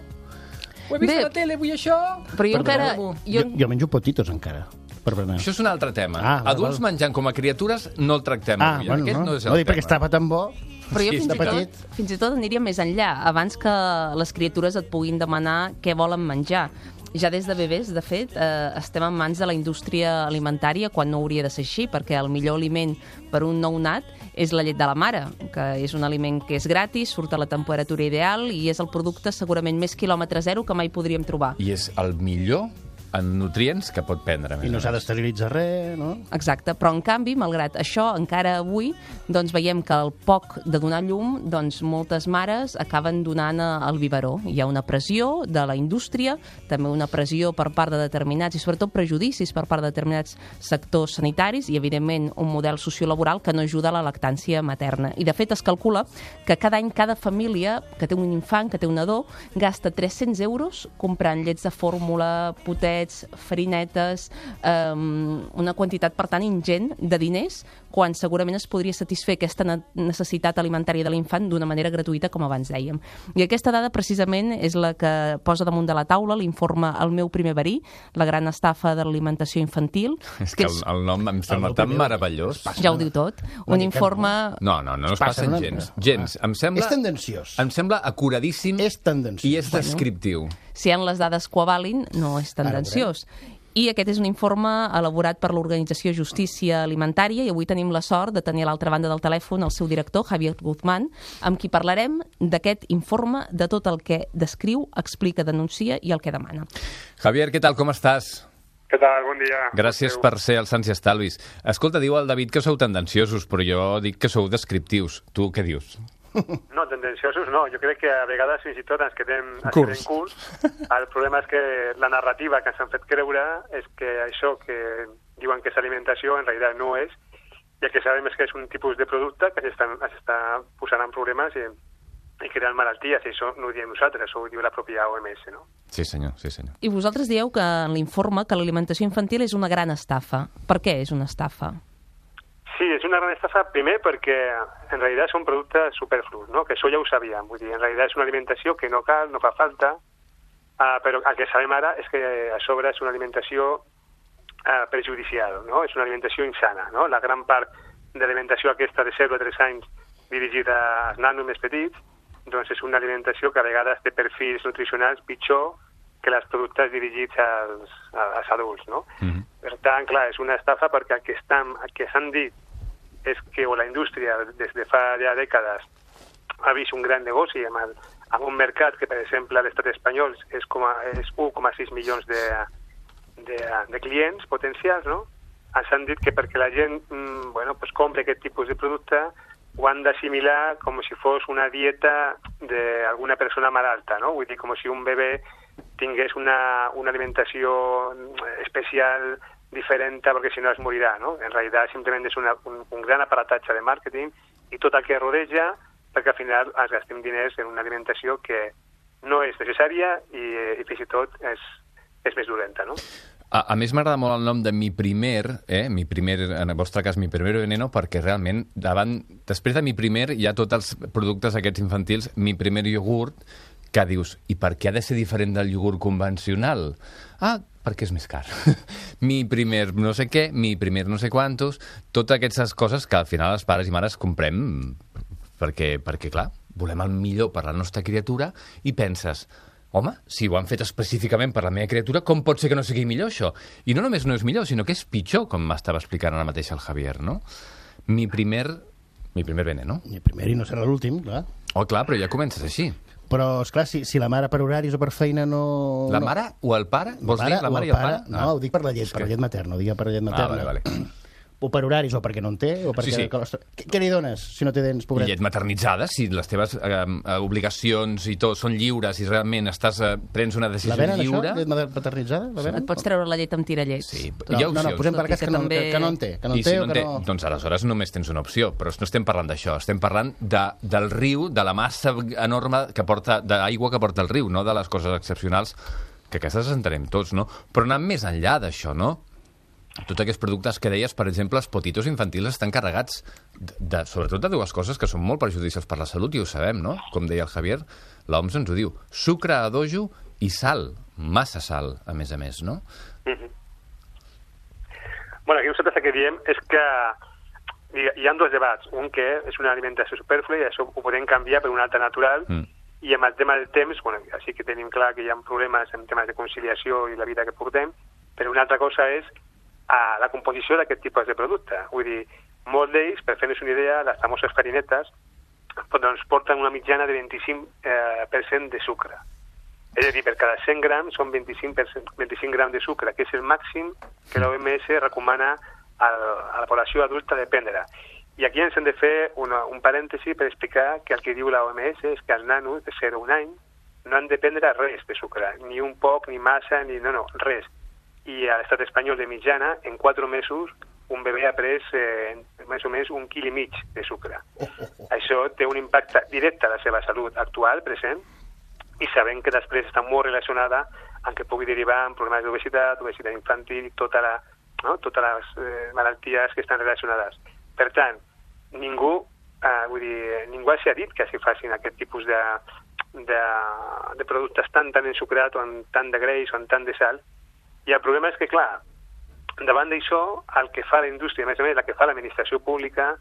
Ho he vist a la tele, vull això... Però jo encara... Jo menjo potitos encara, per berenar. Això és un altre tema. Val, Adults menjant com a criatures no el tractem avui. Bueno, Aquest no és el no, perquè tema. estava tan bo... Però jo Sí, fins i tot aniria més enllà. Abans que les criatures et puguin demanar què volen menjar. Ja des de bebès, de fet, estem en mans de la indústria alimentària quan no hauria de ser així, perquè el millor aliment per un nounat és la llet de la mare, que és un aliment que és gratis, surt a la temperatura ideal i és el producte segurament més quilòmetre zero que mai podríem trobar. I és el millor en nutrients que pot prendre. I no s'ha d'esterilitzar res, no? Exacte, però en canvi, malgrat això, encara avui doncs, veiem que al poc de donar llum, doncs, moltes mares acaben donant al biberó. Hi ha una pressió de la indústria, també una pressió per part de determinats i sobretot prejudicis per part de determinats sectors sanitaris i, evidentment, un model sociolaboral que no ajuda a la lactància materna. I, de fet, es calcula que cada any cada família que té un infant, que té un nadó, gasta 300 euros comprant llets de fórmula, potets, farinetes, una quantitat, per tant, ingent de diners, quan segurament es podria satisfer aquesta necessitat alimentària de l'infant d'una manera gratuïta, com abans dèiem. I aquesta dada, precisament, és la que posa damunt de la taula l'informe El meu primer verí, la gran estafa de l'alimentació infantil. És que el nom em sembla tan meravellós. Ja ho diu tot. Un informe... No es passen gens. Gens. Em sembla... És tendenciós. Em sembla acuradíssim És tendenciós. i és descriptiu. Si hi ha les dades que ho avalin, no és tendenciós. I aquest és un informe elaborat per l'organització Justícia Alimentària i avui tenim la sort de tenir a l'altra banda del telèfon el seu director, Javier Guzmán, amb qui parlarem d'aquest informe, de tot el que descriu, explica, denuncia i el que demana. Javier, què tal, com estàs? Què tal? Bon dia. Gràcies per ser als Sants i Estalvis. Escolta, diu el David que sou tendenciosos, però jo dic que sou descriptius. Tu què dius? No, tendenciosos no. Jo crec que a vegades fins i tot ens quedem Curts. curts. El problema és que la narrativa que ens han fet creure és que això que diuen que és alimentació en realitat no és, i el que sabem és que és un tipus de producte que s'està posant en problemes i creant malalties, i això no ho diem nosaltres, això ho diu la pròpia OMS, no? Sí, senyor, sí, senyor. I vosaltres dieu que en l'informe que l'alimentació infantil és una gran estafa. Per què és una estafa? Sí, és una gran estafa, primer perquè en realitat són productes superflus, no? Que això ja ho sabíem, vull dir, en realitat és una alimentació que no cal, no fa falta, però el que sabem ara és que a sobre és una alimentació perjudicial, no? És una alimentació insana, no? La gran part de l'alimentació aquesta de 0 a 3 anys dirigida als nanos més petits, doncs és una alimentació que a vegades té perfils nutricionals pitjor que els productes dirigits als adults, no? Per tant, clar, és una estafa perquè el que s'han dit és que la indústria des de fa ja dècades ha vist un gran negoci amb un mercat que, per exemple, a l'estat espanyol és 1,6 milions de clients potencials, no? Ens han dit que perquè la gent compri aquest tipus de producte ho han d'assimilar com si fos una dieta d'alguna persona malalta, no? Vull dir, com si un bebè tingués una alimentació especial, diferent, perquè si no es morirà, no? En realitat simplement és un gran aparatatge de màrqueting i tot el que rodeja, perquè al final ens gastem diners en una alimentació que no és necessària i fins i tot és més dolenta, no? A més, m'agrada molt el nom de Mi Primer, en el vostre cas, Mi Primer Veneno, perquè realment, després de Mi Primer, hi ha tots els productes aquests infantils, Mi Primer Iogurt, que dius, i per què ha de ser diferent del iogurt convencional? Perquè és més car. Mi Primer no sé què, Mi Primer no sé quantos, totes aquestes coses que al final els pares i mares comprem perquè clar, volem el millor per la nostra criatura i penses, home, si ho han fet específicament per la meva criatura, com pot ser que no sigui millor això? I no només no és millor, sinó que és pitjor, com m'estava explicant ara mateix el Javier, no? Mi primer veneno. Mi primer i no serà l'últim, clar. Oh, clar, però ja comences així. Però, esclar, si la mare per horaris o per feina no... La mare o el pare? Vols dir la mare i el pare? No, ho dic per la llet, per la llet materna, ho dic per la llet materna. Vale. O per horaris, o perquè no en té, o perquè... Sí. Què li dones, si no té dents, pobret? I llet maternitzada, si les teves obligacions i tot són lliures i realment prens una decisió lliure... La venen, això? Llet maternitzada? La venen? Et pots treure la llet amb tirallet. Sí, hi ha opcions. No, posem per cas que no en té. I si no en té, doncs aleshores només tens una opció, però no estem parlant d'això, estem parlant del riu, de la massa enorme d'aigua que porta el riu, no de les coses excepcionals, que aquestes les entenem tots, no? Però anant més enllà d'això, no? Tots aquests productes que deies, per exemple, els potitos infantils estan carregats sobretot de dues coses que són molt perjudicials per la salut, i ho sabem, no? Com deia el Javier, l'OMS ens ho diu. Sucre a dojo i sal, massa sal, a més, no? Bueno, aquí nosaltres el que diem és que hi ha dos debats. Un que és una alimentació superflua i això ho podem canviar per una altra natural, i amb el tema del temps, bueno, sí que tenim clar que hi ha problemes en temes de conciliació i la vida que portem, però una altra cosa és la composició d'aquest tipus de producte. Vull dir, molts d'ells, per fer-nos una idea, les famoses farinetes, doncs porten una mitjana de 25% de sucre. És a dir, per cada 100 grams són 25 grams de sucre, que és el màxim que l'OMS recomana a la població adulta de prendre. I aquí ens hem de fer un parèntesi per explicar que el que diu l'OMS és que els nanos de 0 a 1 any no han de prendre res de sucre, ni un poc, ni massa, no, res. I a l'estat espanyol de mitjana, en 4 mesos, un bebè ha pres més o menys 1,5 quilos de sucre. Això té un impacte directe a la seva salut actual, present, i sabem que després està molt relacionada amb que pugui derivar en problemes d'obesitat, obesitat infantil i totes les malalties que estan relacionades. Per tant, ningú s'ha dit que s'hi facin aquest tipus de productes tan ensucrats o amb tant de greix o amb tant de sal. I el problema és que, clar, davant d'això, el que fa la indústria, a més, el que fa l'administració pública,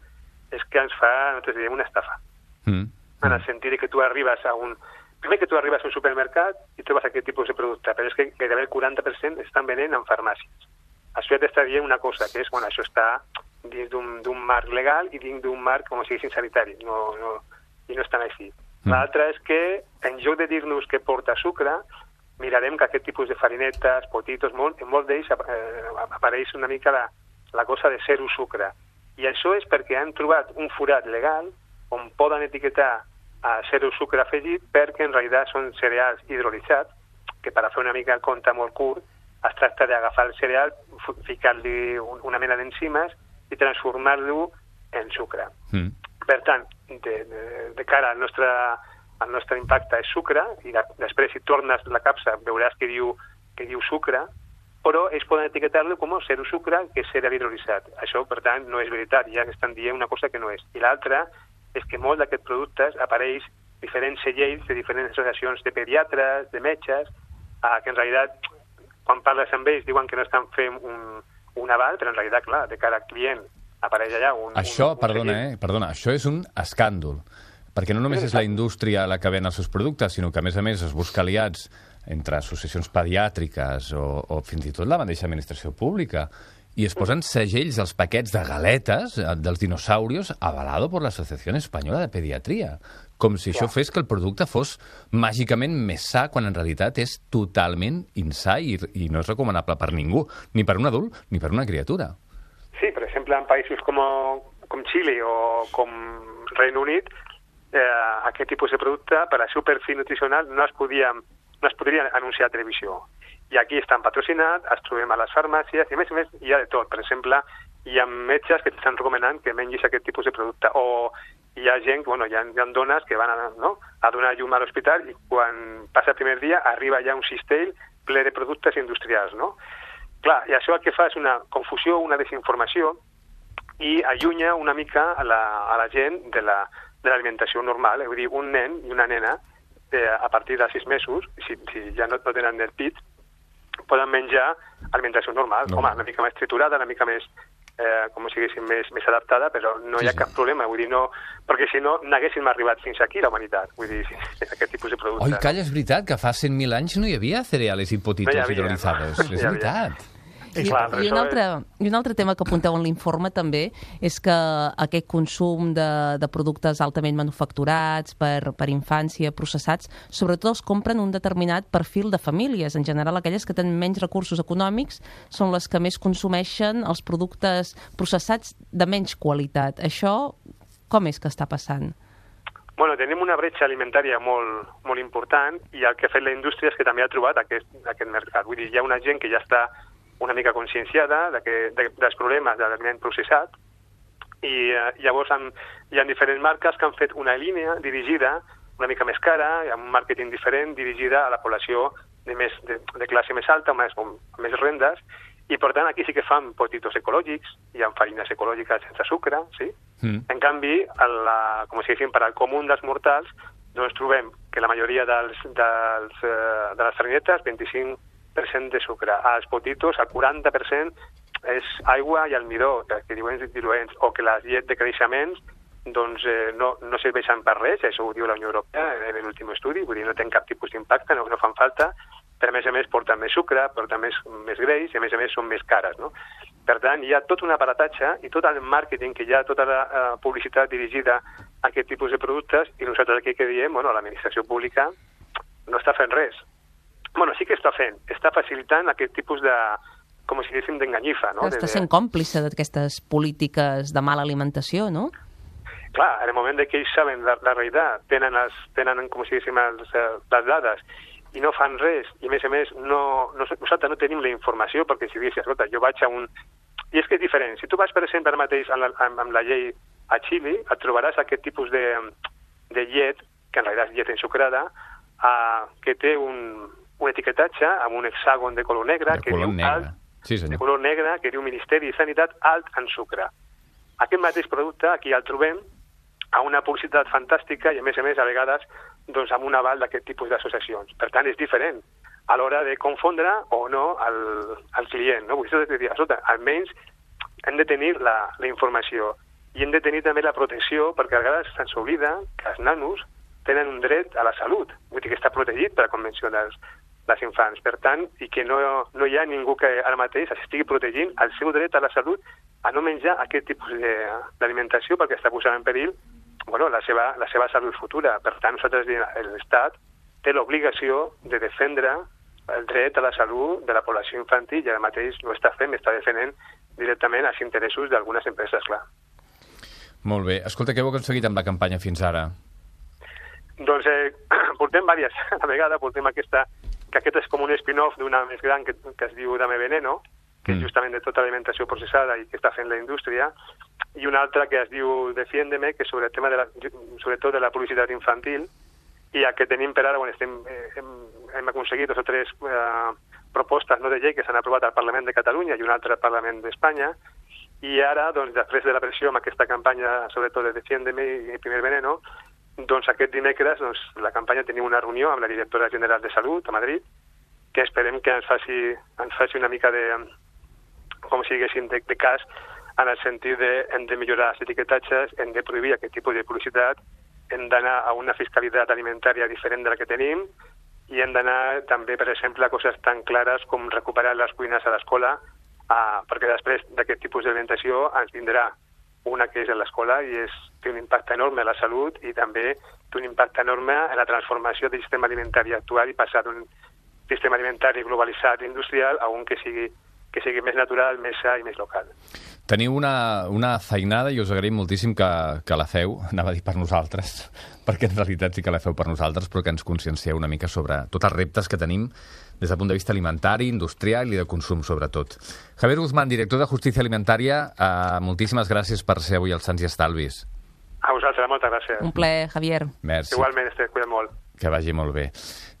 és que ens fa, nosaltres diem, una estafa. En el sentit que tu arribes a un supermercat i trobes aquest tipus de producte, però és que gairebé el 40% estan venent en farmàcies. Això ja t'està dient una cosa, que és, això està dins d'un marc legal i dins d'un marc, com si diguéssim, sanitari, i no estan així. L'altre és que, en lloc de dir-nos que porta sucre, mirarem que aquest tipus de farinetes, potitos, en molts d'ells apareix una mica la cosa de zero sucre. I això és perquè han trobat un forat legal on poden etiquetar a zero sucre afegit, perquè en realitat són cereals hidrolitzats, que per a fer una mica el compte molt curt, es tracta d'agafar el cereal, ficar-li una mena d'enzimes i transformar-lo en sucre. Per tant, de cara al nostre impacte és sucre, i després si tornes la capsa veuràs que diu sucre, però ells poden etiquetar-lo com a zero sucre, que és cereal hidrolitzat. Això, per tant, no és veritat, ja estan dient una cosa que no és. I l'altra és que molts d'aquests productes apareix diferents segells de diferents associacions de pediatres, de metges, que en realitat, quan parles amb ells, diuen que no estan fent un aval, però en realitat, clar, de cara al client apareix allà Perdona, això és un escàndol. Perquè no només és la indústria la que ven els seus productes, sinó que, a més, es busca aliats entre associacions pediàtriques o fins i tot la mateixa administració pública, i es posen segells als paquets de galetes dels dinosaurios avalado por la Asociación Española de Pediatría, com si això fes que el producte fos màgicament més sa, quan en realitat és totalment insà i no és recomanable per ningú, ni per un adult ni per una criatura. Sí, per exemple, en països com Xile o com Regne Unit, aquest tipus de producte, per al seu perfil nutricional, no es podia no es podria anunciar a televisió. I aquí estan patrocinats, es trobem a les farmàcies, i a més hi ha de tot. Per exemple, hi ha metges que t'estan recomanant que mengis aquest tipus de producte, o hi ha gent, hi ha dones que van a donar llum a l'hospital i quan passa el primer dia arriba ja un cistell ple de productes industrials, no? Clar, i això el que fa és una confusió, una desinformació, i allunya una mica a la gent de l'alimentació normal. Vull dir, un nen i una nena, a partir de 6 mesos, si ja no tenen el pit, poden menjar alimentació normal. Home, una mica més triturada, una mica més, com si diguéssim, més adaptada, però no hi ha cap problema. Vull dir, no, perquè si no, n'haguéssim arribat fins aquí, la humanitat. Vull dir, aquest tipus de producte. Oi, calla, és veritat, que fa 100.000 anys no hi havia cereales i potitos hidrolizados. És veritat. I un altre tema que apunteu en l'informe també és que aquest consum de productes altament manufacturats per infància, processats, sobretot els compren un determinat perfil de famílies. En general, aquelles que tenen menys recursos econòmics són les que més consumeixen els productes processats de menys qualitat. Això com és que està passant? Bueno, tenim una bretxa alimentària molt important i el que ha fet la indústria és que també ha trobat aquest mercat. Vull dir, hi ha una gent que ja està una mica conscienciada dels problemes de l'aliment processat i llavors hi ha diferents marques que han fet una línia dirigida una mica més cara, amb un màrqueting diferent, dirigida a la població de classe més alta, amb més rendes, i per tant aquí sí que fan potitos ecològics, hi ha farines ecològiques sense sucre, sí? En canvi, com si diguéssim, per al comú dels mortals, doncs trobem que la majoria de les farinetes, 25% de sucre. Als potitos, el 40% és aigua i almidó, que diuen diluents, o que les llet de creixements doncs, no serveixen per res, això ho diu la Unió Europea en l'últim estudi, vull dir, no tenen cap tipus d'impacte, no fan falta, però a més porten més sucre, porten més greix i a més són més cares, no? Per tant, hi ha tot un aparatatge i tot el màrqueting que hi ha, tota la publicitat dirigida a aquest tipus de productes, i nosaltres aquí que diem, l'administració pública no està fent res. Bueno, sí que està fent, està facilitant aquest tipus de, com si diguéssim, d'enganyifa, no? Està sent còmplice d'aquestes polítiques de mala alimentació, no? Clar, en el moment que ells saben la realitat, tenen com si diguéssim, les dades, i no fan res, i a més nosaltres no tenim la informació, perquè si diguéssim, escolta, jo vaig a un... I és que és diferent, si tu vas, per exemple, ara mateix amb la llei a Xile, et trobaràs aquest tipus de llet, que en realitat és llet ensucrada, que té un etiquetatge amb un hexàgon de color negre, que diu Ministeri de Sanitat alt en sucre. Aquest mateix producte aquí el trobem a una publicitat fantàstica i a més a vegades doncs, amb un aval d'aquest tipus d'associacions. Per tant, és diferent a l'hora de confondre o no el client. No? Vull dir, escolta, almenys hem de tenir la informació i hem de tenir també la protecció, perquè a vegades se'ns oblida que els nanos tenen un dret a la salut, vull dir que està protegit per la Convenció dels infants. Per tant, i que no hi ha ningú que ara mateix estigui protegint el seu dret a la salut a no menjar aquest tipus d'alimentació perquè està posant en perill la seva salut futura. Per tant, nosaltres, l'Estat té l'obligació de defendre el dret a la salut de la població infantil i ara mateix no està fent, està defendent directament els interessos d'algunes empreses, clar. Molt bé. Escolta, què heu aconseguit amb la campanya fins ara? Doncs portem diverses. A vegades portem aquesta, que aquest és com un spin-off d'una més gran que es diu Dame Veneno, que és justament de tota l'alimentació processada i que està fent la indústria, i una altra que es diu Defiéndeme, que és sobre el tema sobretot de la publicitat infantil, i el que tenim per ara, hem aconseguit 2 o 3 propostes de llei que s'han aprovat al Parlament de Catalunya i un altre al Parlament d'Espanya, i ara, doncs, després de la pressió amb aquesta campanya, sobretot de Defiéndeme i Primer Veneno, doncs aquest dimecres la campanya tenim una reunió amb la directora general de Salut a Madrid, que esperem que ens faci una mica de, com si diguéssim, de cas, en el sentit de hem de millorar els etiquetatges, hem de prohibir aquest tipus de publicitat, hem d'anar a una fiscalitat alimentària diferent de la que tenim i hem d'anar també, per exemple, a coses tan clares com recuperar les cuines a l'escola, perquè després d'aquest tipus d'alimentació ens vindrà una que és a l'escola i té un impacte enorme a la salut i també té un impacte enorme en la transformació del sistema alimentari actual i passar d'un sistema alimentari globalitzat industrial a un que sigui més natural, més sa i més local. Teniu una feinada i us agraïm moltíssim que la feu, anava a dir per nosaltres, perquè en realitat sí que la feu per nosaltres, però que ens consciencieu una mica sobre tots els reptes que tenim des del punt de vista alimentari, industrial i de consum, sobretot. Javier Guzmán, director de Justícia Alimentària, moltíssimes gràcies per ser avui als Sants i Estalvis. A vosaltres, moltes gràcies. Un plaer, Javier. Merci. Igualment, cuida molt. Que vagi molt bé.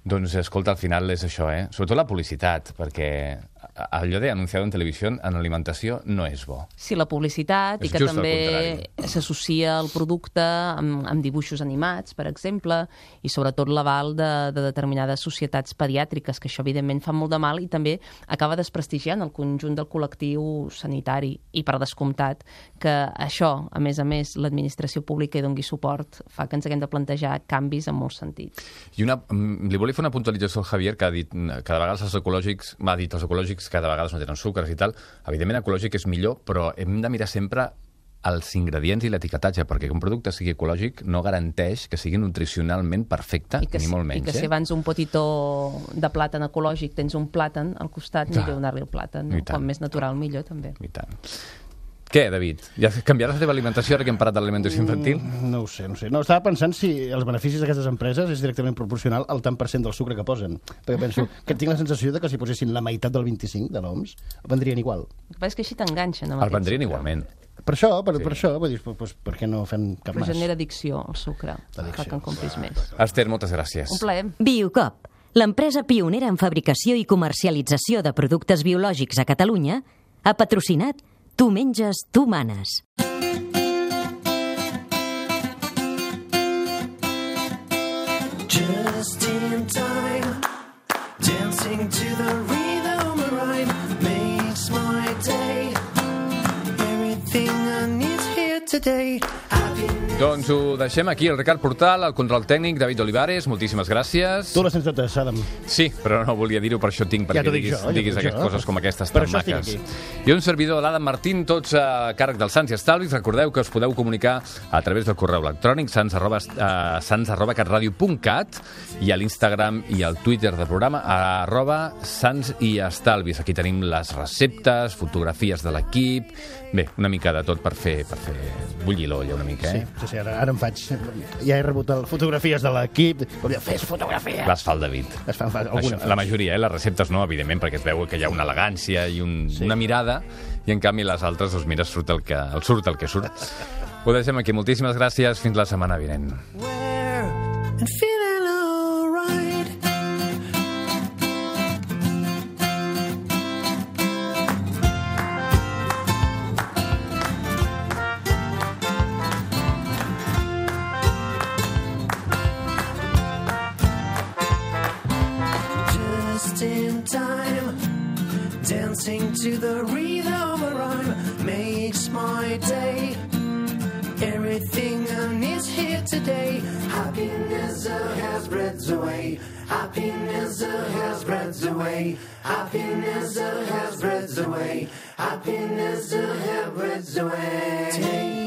Doncs, escolta, al final és això, Sobretot la publicitat, perquè allò de anunciado en televisió en alimentació no és bo. Sí, la publicitat, i que també s'associa el producte amb dibuixos animats, per exemple, i sobretot l'aval de determinades societats pediàtriques, que això evidentment fa molt de mal i també acaba desprestigiant el conjunt del col·lectiu sanitari. I per descomptat que això, a més, l'administració pública hi doni suport, fa que ens haguem de plantejar canvis en molts sentits. I li volia fer una puntualització al Javier, que ha dit que de vegades els ecològics que de vegades no tenen sucres i tal. Evidentment, ecològic és millor, però hem de mirar sempre els ingredients i l'etiquetatge, perquè que un producte sigui ecològic no garanteix que sigui nutricionalment perfecte, ni molt menys. I que si abans un potitó de plàtan ecològic tens un plàtan al costat, millor donar-li el plàtan. Com més natural, millor també. I tant. Què, David? Ja canviaràs la teva alimentació ara que hem parlat de l'alimentació infantil? No ho sé. No, estava pensant si els beneficis d'aquestes empreses és directament proporcional al tant per cent del sucre que posen. Perquè penso que tinc la sensació de que si posessin la meitat del 25 de l'OMS, el vendrien igual. El que passa és que així t'enganxen. El vendrien igualment. Per això, vull dir, per què no fem cap mas? Però genera addicció, el sucre. Fa que en compris més. Esther, moltes gràcies. Un plaer. Biocop, l'empresa pionera en fabricació i comercialització de productes biològics a Catalunya, ha patrocinat Tu menges, tu manes. Just in time, dancing to the rhythm of rhyme makes my day. Everything I need here today. Doncs ho deixem aquí, el Ricard Portal, el control tècnic, David Olivares, moltíssimes gràcies. Tu les tens totes, Adam. Sí, però no volia dir-ho, per això tinc, perquè diguis coses com aquestes tan maques. I un servidor, l'Adam Martín, tots a càrrec dels Sants i Estalvis. Recordeu que us podeu comunicar a través del correu electrònic sans@catradio.cat i a l'Instagram i al Twitter del programa @sansiestalvis. Aquí tenim les receptes, fotografies de l'equip, bé, una mica de tot per fer bullir l'olla una mica, Sí, ara em faig... Ja he rebut fotografies de l'equip. Fes fotografies! Les fa el David. La majoria, les receptes no, evidentment, perquè es veu que hi ha una elegància i una mirada, i en canvi les altres, doncs mira, surt el que surt. Ho deixem aquí. Moltíssimes gràcies. Fins la setmana vinent. Dancing to the rhythm of rhyme makes my day. Everything I need here today. Happiness has spreads away. Happiness has spreads away. Happiness has spreads away. Happiness has spreads away.